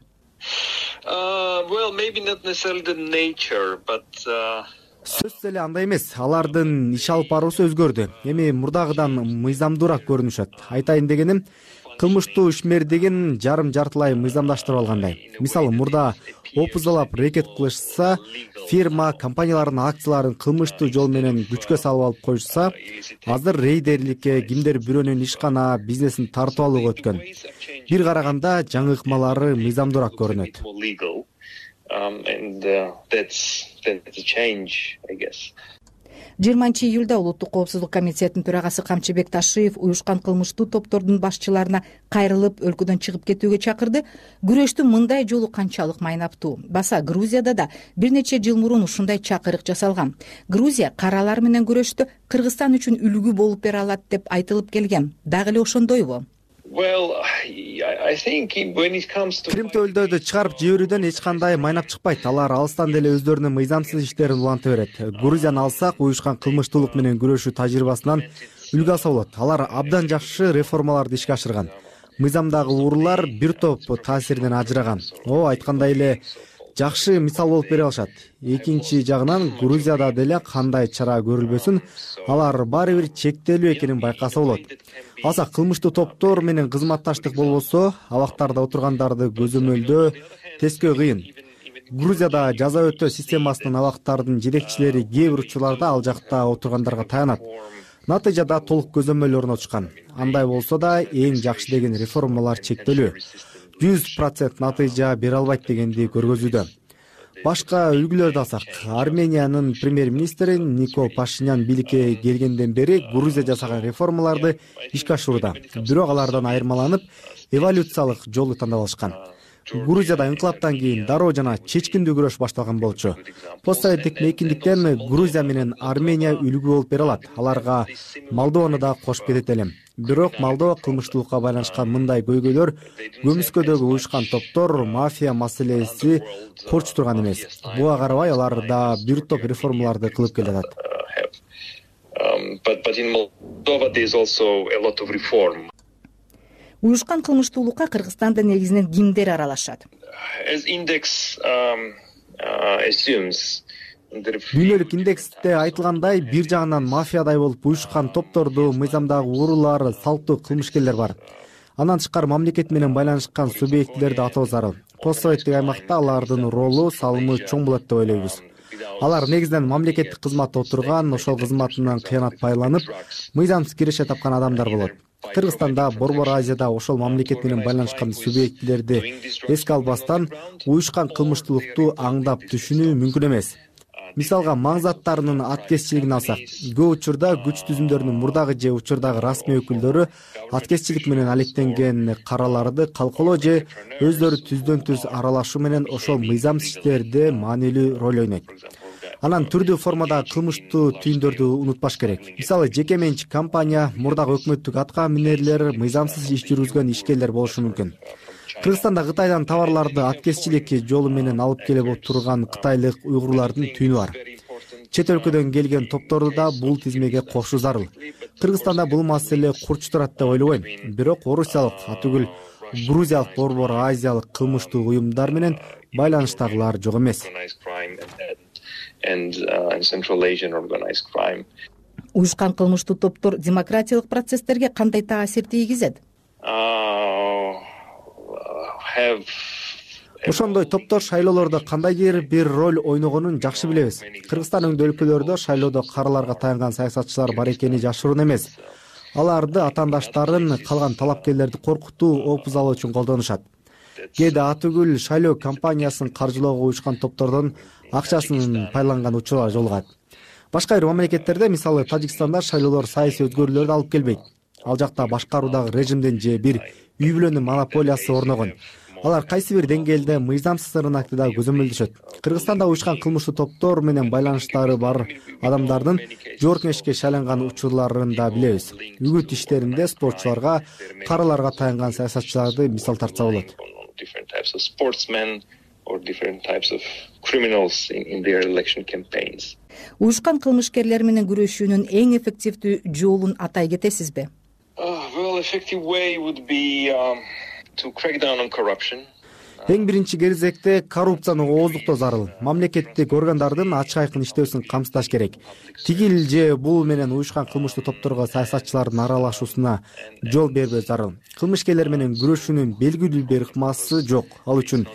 Сөзсүз эле андай эмес. Алардын иш алып баруусу өзгөрдү. Эми мурдагыдан мыйзамдуураак көрүнүшөт. Айтайын дегеним, кылмыштуу ишмер деген жарым-жартылай мыйзамдаштырып алгандай. Мисалы, мурда опузалап рекет кылышса, фирма, компаниялардын акцияларын кылмыштуу жол менен күчкө салып алып коюшса, азыр рейдерликке, кимдер бирөөнүн ишкана, бизнесин тартып алууга өткөн. Бир караганда жаңы ыкмалары мыйзамдуураак көрүнөт. 20-июлда Улуттук коопсуздук комитетинин төрагасы Камчыбек Ташиев уюшкан кылмыштуу топтордун башчыларына кайрылып, өлкөдөн чыгып кетүүгө чакырды. Күрөштүн мындай жолу канчалык майнаптуу? Баса Грузияда да бир нече жыл мурун ушундай чакырык жасалган. Грузия каралар менен күрөштө Кыргызстан үчүн үлгү болуп бере алат деп айтылып келген. Дагы эле ошондойбу? Кирим төбөлдөрдү чыгарып жиберүүдөн эч кандай майнап чыкпайт. Алар алыстан деле өздөрүнүн мыйзамсыз иштерин уланта берет. Грузияны алсак, уюшкан кылмыштуулук менен күрөшүү тажрыйбасынан үлгү алса болот. Алар абдан жакшы реформаларды ишке ашырган. Мыйзамдагы уурулар бир топ таасиринен ажыраган. Айткандай эле жакшы мисал болуп бере алышат. Экинчи жагынан, Грузияда деле кандай чара көрүлбөсүн, алар баары бир чектелүү экенин байкаса болот. Алсак, кылмыштуу топтор менен кызматташтык болбосо, абактарда отургандарды көзөмөлдөө, тескөө кыйын. Грузияда жаза өтөө системасынын абактардын жетекчилери кээ бир учурларда ал жакта отургандарга таянат. Натыйжада толук көзөмөл орнотушкан. Андай болсо да, эң жакшы деген реформалар чектелүү. 100% натыйжа бере албайт дегенди көргөзүүдө. Башка үлгүлөрдү алсак, Армениянын премьер-министри Никол Пашинян бийликке келгенден бери Грузия жасаган реформаларды ишке ашырууда. Бирок алардан айырмаланып, эволюциялык жолду тандап алышкан. Грузияда инкылаптан кийин дароо жана чечкиндүү күрөш башталган болчу. Постсоветтик мейкиндиктен Грузия менен Армения үлгү болуп бере алат. Аларга Молдованы да кошуп кетет элем. Бирок Молдова кылмыштуулукка байланышкан мындай көйгөйлөр көмүскөдөгү уюшкан топтор, мафия маселеси корчу турган эмес. Буга карабай алар да бир топ реформаларды кылып келатат. Уюшкан кылмыштуулукка Кыргызстанда негизинен кимдер аралашат? Дүйнөлүк индексте айтылгандай, бир жагынан мафиядай болуп уюшкан топторду, мыйзамдагы уурулар, салттуу кылмышкерлер бар. Андан тышкары мамлекет менен байланышкан субъектилерди атоо зарыл. Постсоветтик аймакта алардын ролу, салымы чоң болот деп ойлойбуз. Алар негизинен мамлекеттик кызматта отурган, ошол кызматынан кыянат пайдаланып, мыйзамсыз киреше тапкан адамдар болот. Кыргызстанда, Борбор Азияда ошол мамлекет менен байланышкан субъектилерди эске албастан уюшкан кылмыштуулукту аңдап түшүнүү мүмкүн эмес. Мисалга, маң заттарынын аткезчилигин алсак, көп учурда күч түзүмдөрүнүн мурдагы же учурдагы расмий өкүлдөрү аткезчилик менен алектенген караларды калкалоо же өздөрү түздөн-түз аралашуу менен ошол мыйзамсыз иштерде маанилүү роль ойнойт. Анан түрдүү формадагы кылмыштуу түйүндөрдү унутпаш керек. Мисалы, жеке менчик компания, мурдагы өкмөттүк атка минерлер, мыйзамсыз иш жүргүзгөн ишкерлер болушу мүмкүн. Кыргызстанда Кытайдан товарларды аткезчилик жолу менен алып келип турган кытайлык уйгурлардын түйүнү бар. Чет өлкөдөн келген топторду да бул тизмеге кошуу зарыл. Кыргызстанда бул маселе курч турат деп ойлобойм. Бирок орусиялык, атүгүл грузиялык, борбор азиялык кылмыштуу уюмдар менен байланыштагылар жок эмес. Уюшкан кылмыштуу топтор демократиялык процесстерге кандай таасир тийгизет? Ошондой топтор шайлоолордо кандайдыр бир роль ойногонун жакшы билебиз. Кыргызстан өңдүү өлкөлөрдө шайлоодо караларга таянган саясатчылар бар экени жашыруун эмес. Аларды атаандаштарын калган талапкерлерди коркутуу, опуз алуу үчүн колдонушат. Кээде атүгүл шайлоо кампаниясын каржылоого уюшкан топтордон акчасын пайдаланган учурлар жолугат. Башка бир мамлекеттерде, мисалы Тажикстанда, шайлоолор саясий өзгөрүүлөрдү алып келбейт. Ал жакта башкаруудагы режимдин же бир үй бүлөнүн монополиясы орногон. Алар кайсы бир деңгээлде мыйзамсыз ырынакты да көзөмөлдөшөт. Кыргызстанда уюшкан кылмыштуу топтор менен байланыштары бар адамдардын жоорукмешке шайланган учурларын да билебиз. Үгүт иштеринде спортчуларга, караларга таянган саясатчыларды мисал тартса болот. Уюшкан кылмышкерлер менен күрөшүүнүн эң эффективдүү жолун атай кетесизби? Эң биринчи кезекте коррупцияны ооздуктоо зарыл. Мамлекеттик органдардын ачык айкын иштөөсүн камсыздаш керек. Тигил же бул менен уюшкан кылмыштуу топторго саясатчылардын аралашуусуна жол бербөө зарыл. Кылмышкерлер менен күрөшүүнүн белгилүү бир ыкмасы жок. Ал үчүн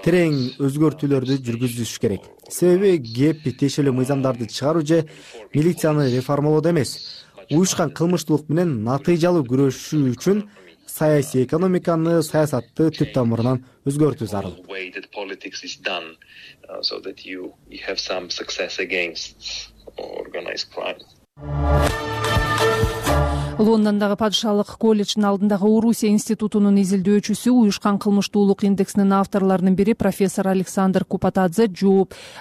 терең өзгөртүүлөрдү жүргүзүш керек. Себеби кеп тиешелүү мыйзамдарды чыгаруу же милицияны реформалоодо эмес, уюшкан кылмыштуулук менен натыйжалуу күрөшүү үчүн саясий экономиканы, саясатты түп тамырынан өзгөртүү зарыл. Лондондогу падышалык колледждин алдындагы Орусия институтунун изилдөөчүсү, уюшкан кылмыштуулук индексинин авторлорунун бири профессор Александр Купатадзе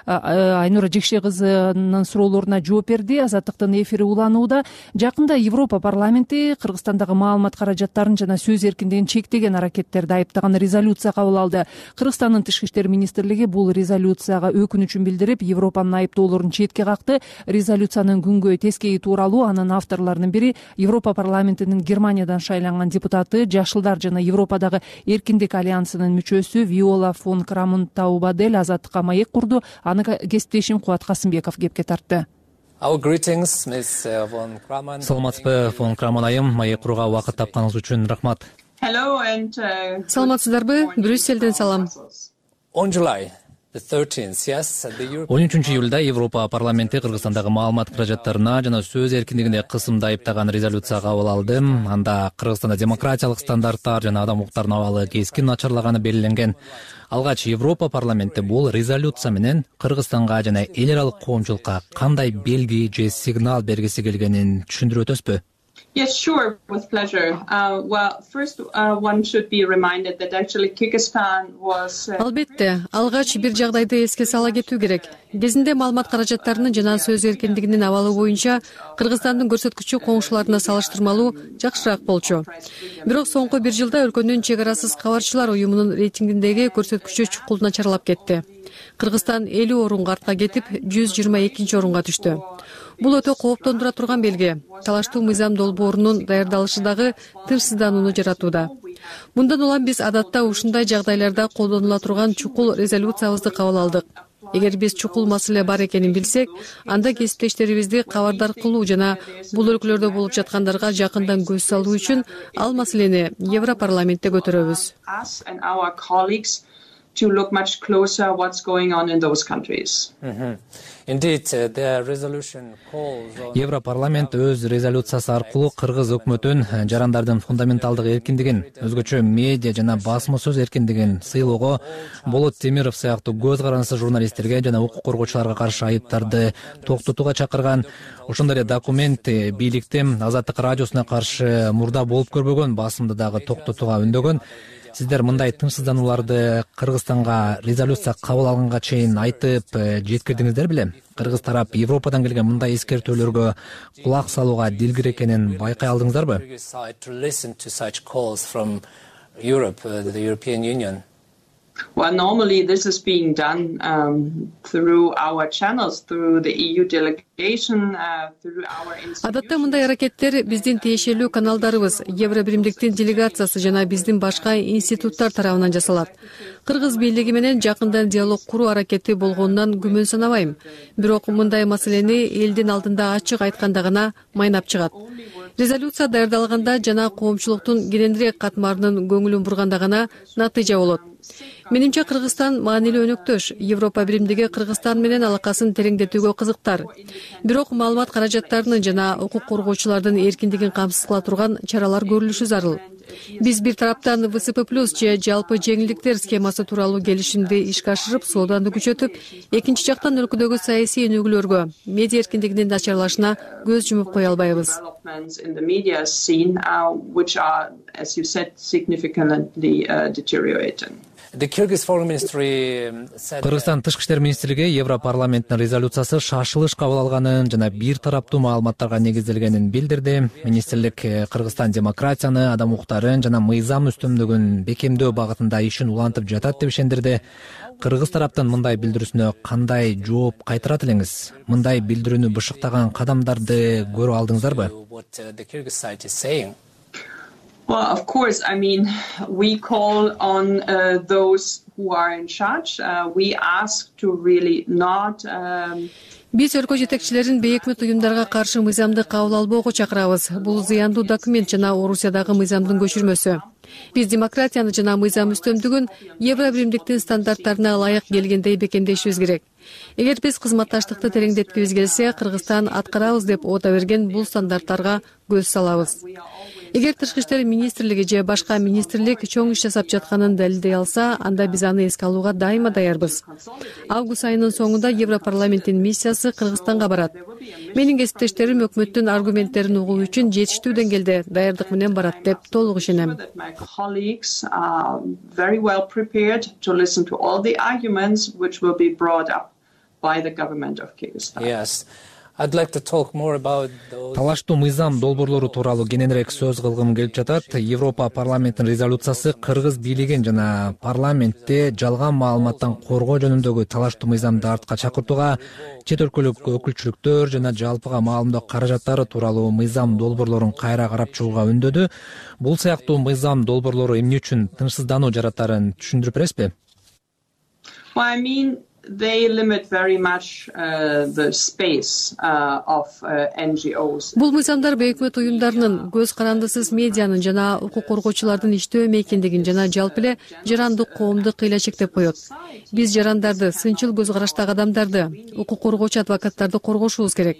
Айнура Жекше кызынын суроолоруна жооп берди. Азаттыктын эфири уланууда. Жакында Европа парламенти Кыргызстандагы маалымат каражаттарын жана сөз эркиндигин чектеген аракеттерди айыптаган резолюция кабыл алды. Кыргызстандын тышкы иштер министрлиги бул резолюцияга өкүнүчүн билдирип, Европанын айыптоолорун четке какты. Резолюциянын күнгөй тескеи тууралуу анын авторлорунун бири Европа парламентинин Германиядан шайланган депутаты, Жашылдар жана Европадагы Эркиндик альянсынын мүчөсү Виола фон Крамон Таубадель Азаттыкка маек курду. Аны кесиптешим Кубат Касымбеков кепке тартты. Саламатсызбы, фон Крамон айым, маек курууга убакыт тапканыңыз үчүн рахмат. Саламатсыздарбы? Брюсселден салам. 13 июлда Европа парламенти Кыргызстандагы маалымат каражаттарына жана сөз эркиндигине кысымды айыптаган резолюция кабыл алды. Анда Кыргызстанда демократиялык стандарттар жана адам укуктарынын абалы кескин начарлаганы белгиленген. Алгач Европа парламенти бул резолюция менен Кыргызстанга жана эл аралык коомчулукка кандай белги же сигнал бергиси келгенин түшүндүрүп өтөсүзбү? Yes, sure, with pleasure. First, one should be reminded that actually Kyrgyzstan was... Албетте, алгач бир жагдайды эске сала кетүү керек. Кезинде маалымат каражаттарынын жана сөз эркиндигинин абалы боюнча Кыргызстандын көрсөткүчү коңшуларына салыштырмалуу жакшыраак болчу. Бирок соңку бир жылда өлкөнүн чек арасыз кабарчылар уюмунун рейтингиндеги көрсөткүчү чукул начарлап кетти. Кыргызстан 50 орунга артка кетип, 122 орунга түштү. Бул өтө кооптондура турган белги. Талаштуу мыйзам долбоорунун даярдалышы дагы тынчсызданууну жаратууда. Мындан улам биз адатта ушундай жагдайларда колдонула турган чукул резолюциябызды кабыл алдык. Эгер биз чукул маселе бар экенин билсек, анда кесиптештерибизди кабардар кылуу жана бул өлкөлөрдө болуп жаткандарга жакындан көз салуу үчүн ал маселени Европарламентте көтөрөбүз. To look much closer what's going on in those countries. Indeed, the resolution calls on... Европарламент өз резолюциясы аркылуу кыргыз өкмөтүн жарандардын фундаменталдык эркиндигин, өзгөчө медиа жана басма сөз эркиндигин сыйлоого, Болот Темиров сыяктуу көз карансыз журналисттерге жана укук коргоочуларга каршы айыптарды токтотууга чакырган. Ошондой эле документ бийликти Азаттык радиосуна каршы мурда болуп көрбөгөн басымды дагы токтотууга үндөгөн. Сиздер мындай тынчсызданууларды Кыргызстанга резолюция кабыл алганга чейин айтып жеткирдиңиздер беле? Кыргыз тарап Европадан келген мындай эскертүүлөргө кулак салууга дилгир экенин байкай алдыңыздарбы? Well, normally this is being done through our channels, through the EU delegation, through our institutions. Адатта мындай аракеттер биздин тиешелүү каналдарыбыз, Евро биримдиктин делегациясы жана биздин башка институттар тарабынан жасалат. Кыргыз бийлиги менен жакындан диалог куруу аракети болгонунан күмөн санабайм. Бирок мындай маселени элдин алдында ачык айтканда гана майнап чыгат. Резолюция даярдалганда жана коомчулуктун кененирээк катмарынын көңүлүн бурганда гана натыйжа болот. Менимче Кыргызстан маанилүү өнөктөш. Европа биримдиги Кыргызстан менен алакасын тереңдетүүгө кызыктар. Бирок маалымат каражаттарынын жана укук коргоочулардын эркиндигин камсыз кыла турган чаралар көрүлүшү зарыл. Биз бир тараптан ВСП+ же жалпы жеңилдиктер схемасы тууралуу келишимди ишке ашырып, сооданы күчөтүп, экинчи жактан өлкөдөгү саясий өнүгүүлөргө, медиа эркиндигинин начарлашына көз жумуп кое албайбыз. Кыргызстан тышкы иштер министрлиги Европарламенттин резолюциясы шашылыш кабыл алганын жана бир тараптуу маалыматтарга негизделгенин билдирди. Министрлик Кыргызстан демократияны, адам укуктарын жана мыйзам үстөмдүгүн бекемдөө багытында ишин улантып жатат деп ишендирди. Кыргыз тараптын мындай билдирүүсүнө кандай жооп кайтарат элеңиз? Мындай билдирүүнү бышыктаган кадамдарды көрүп алдыңыздарбы? Well, of course, I mean, we call on those who are in charge. We ask to really not... Биз өлкө жетекчилерин бейөкмөт уюмдарга каршы мыйзамды кабыл албоого чакырабыз. Бул зыяндуу документ жана Орусиядагы мыйзамдын көчүрмөсү. Биз демократияны жана мыйзам үстөмдүгүн Евро биримдиктин стандарттарына ылайык келгендей бекемдешибиз керек. Эгер биз кызматташтыкты тереңдеткибиз келсе, Кыргызстан аткарабыз деп оото берген бул стандарттарга көз салабыз. Эгер тышкы иштер министрлиги же башка министрлик чоң иш жасап жатканын далилдей алса, анда биз аны эске алууга дайыма даярбыз. Август айынын соңунда Европарламенттин миссиясы Кыргызстанга барат. Менин кесиптештерим өкмөттүн аргументтерин угуу үчүн жетиштүү деңгээлде даярдык менен барат деп толук ишенем. Талаштуу мыйзам долбоорлору тууралуу кененирээк сөз кылгым келип жатат. Европа парламентинин резолюциясы кыргыз бийлигин жана парламентте жалган маалыматтан коргоо жөнүндөгү талаштуу мыйзамды артка чакыртууга, чет өлкөлүк өкүлчүлүктөр жана жалпыга маалымдоо каражаттары тууралуу мыйзам долбоорлорун кайра карап чыгууга үндөдү. Бул сыяктуу мыйзам долбоорлору эмне үчүн тынчсыздануу жаратарын түшүндүрүп бересизби? They limit very much the space of NGOs. Бул мыйзамдар бейөкмөт уюмдарынын, көз карандысыз медианын жана укук коргоочулардын иштөө мейкиндигин жана жалпы эле жарандык коомду кыйла чектеп коет. Биз жарандарды, сынчыл көз караштагы адамдарды, укук коргоочу адвокаттарды коргошубуз керек.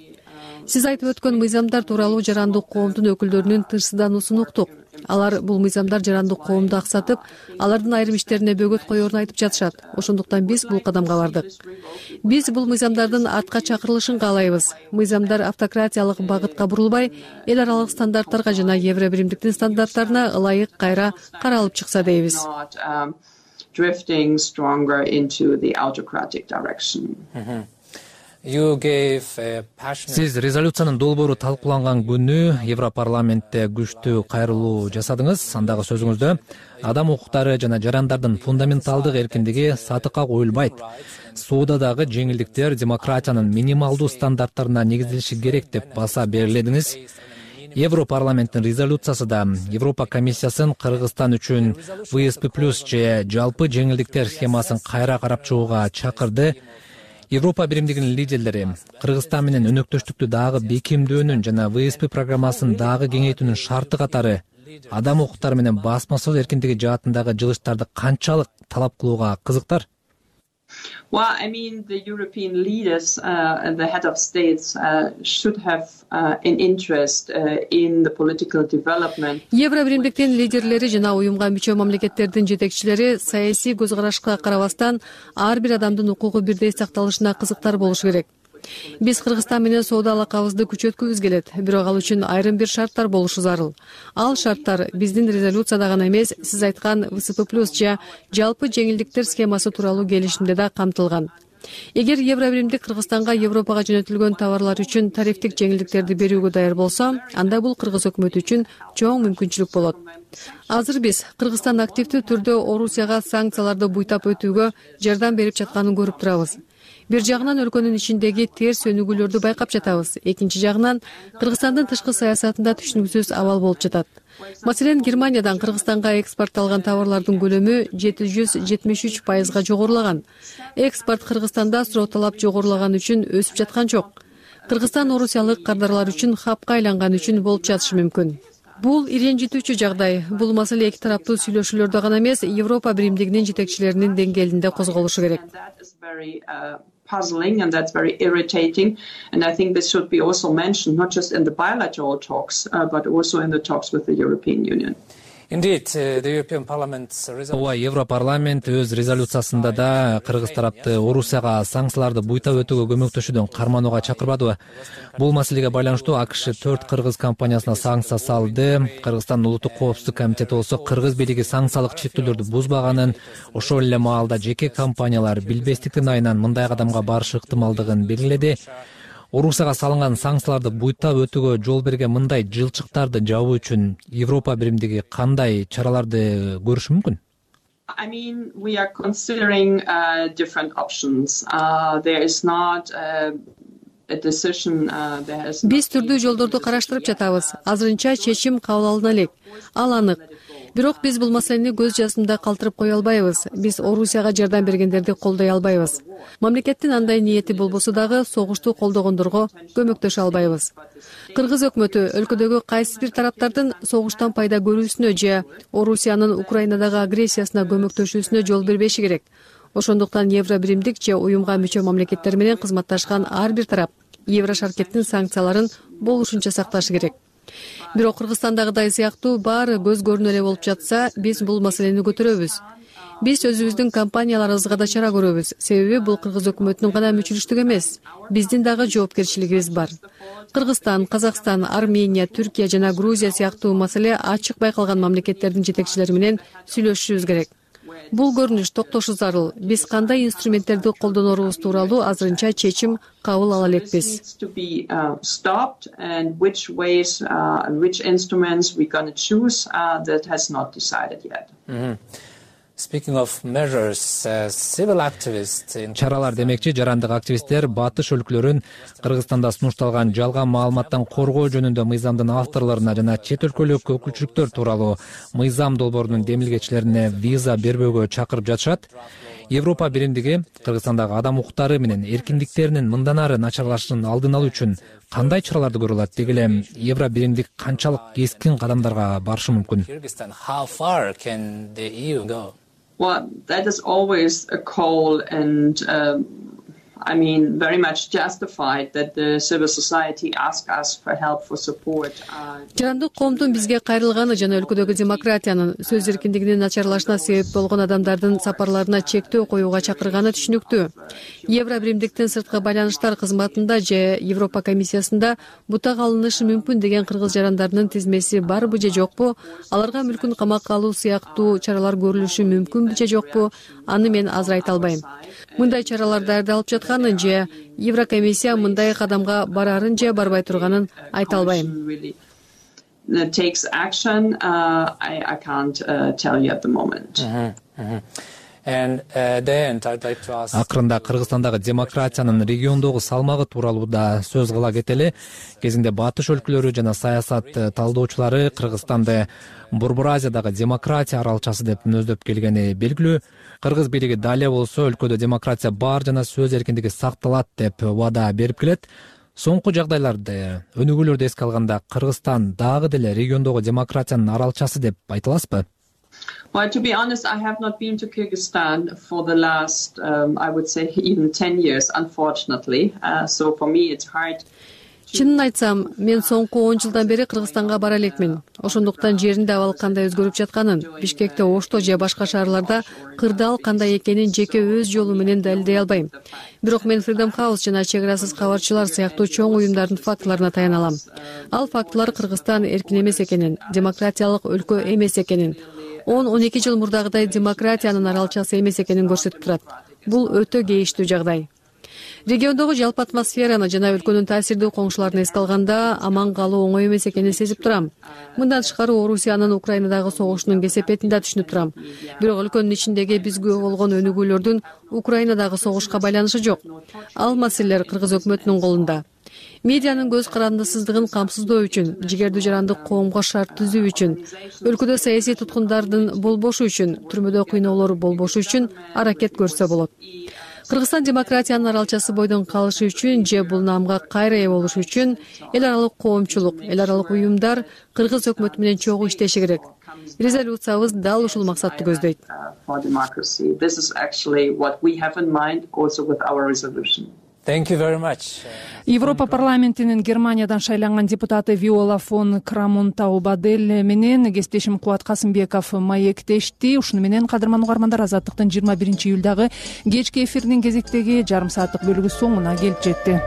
Сиз айтып өткөн мыйзамдар тууралуу жарандык коомдун өкүлдөрүнүн тынчсыздануусун уктук. Алар бул мыйзамдар жарандык коомду аксатып, алардын айрым иштерине бөгөт коерун айтып жатышат. Ошондуктан биз бул кадамга бардык. Биз бул мыйзамдардын артка чакырылышын каалайбыз. Мыйзамдар автократиялык багытка бурулбай, эл аралык стандарттарга жана Евро биримдиктин стандарттарына ылайык кайра каралып чыкса дейбиз. Сиз резолюциянын долбоору талкууланган күнү Европарламентте күчтүү кайрылуу жасадыңыз. Андагы сөзүңүздө адам укуктары жана жарандардын фундаменталдык эркиндиги сатыкка коюлбайт. Соодадагы жеңилдиктер демократиянын минималдуу стандарттарына негизделиши керек деп баса берилдиңиз. Европарламенттин резолюциясы да Европа комиссиясын Кыргызстан үчүн ВСП+ же жалпы жеңилдиктер схемасын кайра карап чыгууга чакырды. Европа биримдигинин лидерлери Кыргызстан менен өнөктөштүктү дагы бекемдөөнүн жана ВСП программасын дагы кеңейтүүнүн шарты катары адам укуктары менен басма сөз эркиндиги жаатындагы жылыштарды канчалык талап кылууга кызыктар? Well, I mean, the European leaders and the head of states should have an interest in the political development. Евро биримдиктин лидерлери жана уюмга мүчө мамлекеттердин жетекчилери саясий көз карашка карабастан ар бир адамдын укугу бирдей сакталышына кызыктар болушу керек. Биз Кыргызстан менен соода алакабызды күчөткүбүз келет, бирок ал үчүн айрым бир шарттар болушу зарыл. Ал шарттар биздин резолюцияда гана эмес, сиз айткан ВСП+ же жалпы жеңилдиктер схемасы тууралуу келишимде да камтылган. Эгер Евробиримдик Кыргызстанга Европага жөнөтүлгөн товарлар үчүн тарифтик жеңилдиктерди берүүгө даяр болсо, анда бул кыргыз өкмөтү үчүн чоң мүмкүнчүлүк болот. Азыр биз Кыргызстан активдүү түрдө Орусияга санкцияларды буйтап өтүүгө жардам берип жатканын көрүп турабыз. Бир жагынан өлкөнүн ичиндеги терс өнүгүүлөрдү байкап жатабыз. Экинчи жагынан Кыргызстандын тышкы саясатында түшүнүксүз абал болуп жатат. Маселен, Германиядан Кыргызстанга экспортталган товарлардын көлөмү 773% жогорулаган. Экспорт Кыргызстанда суроо талап жогорулаган үчүн өсүп жаткан жок. Кыргызстан орусиялык кардарлар үчүн хапка айланган үчүн болуп жатышы мүмкүн. Бул ренжитүүчү жагдай. Бул маселе эки тараптуу сүйлөшүүлөрдө гана эмес, Европа биримдигинин жетекчилеринин деңгээлинде козголушу керек. Puzzling, and that's very irritating. And I think this should be also mentioned, not just in the bilateral talks, but also in the talks with the European Union. Ооба, Европарламент өз резолюциясында да кыргыз тарапты Орусияга санкцияларды буйтап өтүүгө көмөктөшүүдөн карманууга чакырбадыбы? Бул маселеге байланыштуу АКШ 4 кыргыз компаниясына санкция салды. Кыргызстандын улуттук коопсуздук комитети болсо кыргыз бийлиги санкциялык чектөөлөрдү бузбаганын, ошол эле маалда жеке компаниялар билбестиктин айынан мындай кадамга барышы ыктымалдыгын белгиледи. Орусияга салынган санкцияларды буйтап өтүүгө жол берген мындай жылчыктарды жабуу үчүн Европа биримдиги кандай чараларды көрүшү мүмкүн? I mean, we are considering different options. There is not a decision. Биз түрдүү жолдорду караштырып жатабыз. Азырынча чечим кабыл алына элек. Ал анык. Бирок биз бул маселени көз жазымда калтырып кое албайбыз. Биз Орусияга жардам бергендерди колдой албайбыз. Мамлекеттин андай ниети болбосо дагы согушту колдогондорго көмөктөшө албайбыз. Кыргыз өкмөтү өлкөдөгү кайсы бир тараптардын согуштан пайда көрүүсүнө же Орусиянын Украинадагы агрессиясына көмөктөшүүсүнө жол бербеши керек. Ошондуктан Евробиримдик же уюмга мүчө мамлекеттер менен кызматташкан ар бир тарап Еврошаркеттин санкцияларын болушунча сакташы керек. Бирок Кыргызстандагыдай сыяктуу баары көз көрүнө эле болуп жатса, биз бул маселени көтөрөбүз. Биз өзүбүздүн компанияларыбызга да чара көрөбүз. Себеби бул кыргыз өкмөтүнүн гана мүчүлүштүгү эмес, биздин дагы жоопкерчилигибиз бар. Кыргызстан, Казакстан, Армения, Түркия жана Грузия сыяктуу маселе ачык байкалган мамлекеттердин жетекчилери менен сүйлөшүшүбүз керек. Бул көрүнүш токтошу зарыл. Биз кандай инструменттерди колдонорубуз тууралуу азырынча чечим кабыл ала элекпиз. Чаралар демекчи, жарандык активисттер батыш өлкөлөрүн Кыргызстанда сунушталган жалган маалыматтан коргоо жөнүндө мыйзамдын авторлоруна жана чет өлкөлүк өкүлчүлүктөр тууралуу мыйзам долбоорунун демилгечилерине виза бербөөгө чакырып жатышат. Европа биримдиги Кыргызстандагы адам укуктары менен эркиндиктеринин мындан ары начарлашышынын алдын алуу үчүн кандай чараларды көрө алат? Деги эле Евро биримдик канчалык кескин кадамдарга барышы мүмкүн? Well, that is always a call, and I mean, very much justified that the civil society ask us for help, for support. Жарандык коомдун бизге кайрылганы жана өлкөдөгү демократиянын, сөз эркиндигинин начарлашына себеп болгон адамдардын сапарларына чектөө коюуга чакырганы түшүнүктүү. Евро биримдиктин сырткы байланыштар кызматында же Европа комиссиясында бутак алынышы мүмкүн деген кыргыз жарандарынын тизмеси барбы же жокпу, аларга мүлкүн камакка алуу сыяктуу чаралар көрүлүшү мүмкүнбү же жокпу, аны мен азыр айта албайм. Мындай чаралар даярдалып жатканын же Еврокомиссия мындай кадамга барарын же барбай турганын айта албайм. Takes action, I can't tell you at the moment. Акырында Кыргызстандагы демократиянын региондогу салмагы тууралуу да сөз кыла кетели. Кезинде батыш өлкөлөрү жана саясат талдоочулары Кыргызстанды Борбор Азиядагы демократия аралчасы деп мүнөздөп келгени белгилүү. Кыргыз бийлиги дале болсо өлкөдө демократия бар жана сөз эркиндиги сакталат деп убада берип келет. Соңку жагдайларды, өнүгүүлөрдү эске алганда Кыргызстан дагы деле региондогу демократиянын аралчасы деп айта аласызбы? Well, to be honest, I have not been to Kyrgyzstan for the last, I would say, even 10 years, unfortunately. So for me, it's hard. Чынын айтсам, мен соңку 10 жылдан бери Кыргызстанга бара элекмин. Ошондуктан жеринде абал кандай өзгөрүп жатканын, Бишкекте, Ошто же башка шаарларда кырдаал кандай экенин жеке өз жолу менен далилдей албайм. Бирок мен Freedom House жана Чек арасыз кабарчылар сыяктуу чоң уюмдардын фактыларына таяна алам. Ал фактылар Кыргызстан эркин эмес экенин, демократиялык өлкө эмес экенин, 10-12 жыл мурдагыдай демократиянын аралчасы эмес экенин көрсөтүп турат. бул өтө кейиштүү жагдай. Региондогу жалпы атмосфераны жана өлкөнүн таасирдүү коңшуларын эске алганда аман калуу оңой эмес экенин сезип турам. Мындан тышкары Орусиянын Украинадагы согушунун кесепетин да түшүнүп турам. Бирок өлкөнүн ичиндеги бизге болгон өнүгүүлөрдүн Украинадагы согушка байланышы жок. Ал маселелер Кыргыз өкмөтүнүн колунда. Медианын көз карандысыздыгын камсыздоо үчүн, жигердүү жарандык коомго шарт түзүү үчүн, өлкөдө саясий туткундардын болбошу үчүн, түрмөдө кыйноолор болбошу үчүн аракет көрсө болот. Кыргызстан демократиянын аралчасы бойдон калышы үчүн же бул наамга кайра ээ болушу үчүн эл аралык коомчулук, эл аралык уюмдар Кыргыз өкмөтү менен чогуу иштеши керек. Резолюциябыз дал ушул максатты көздөйт. Thank you very much. Европа парламентинин Германиядан шайланган депутаты Виола фон Крамон-Таубадель менен кесиптешим Кубат Касымбеков маектешти. Ушуну менен кадырман угармандар, Азаттыктын 21-июлдагы кечки эфиринин кезектеги жарым сааттык бөлүгү соңуна келип жетти.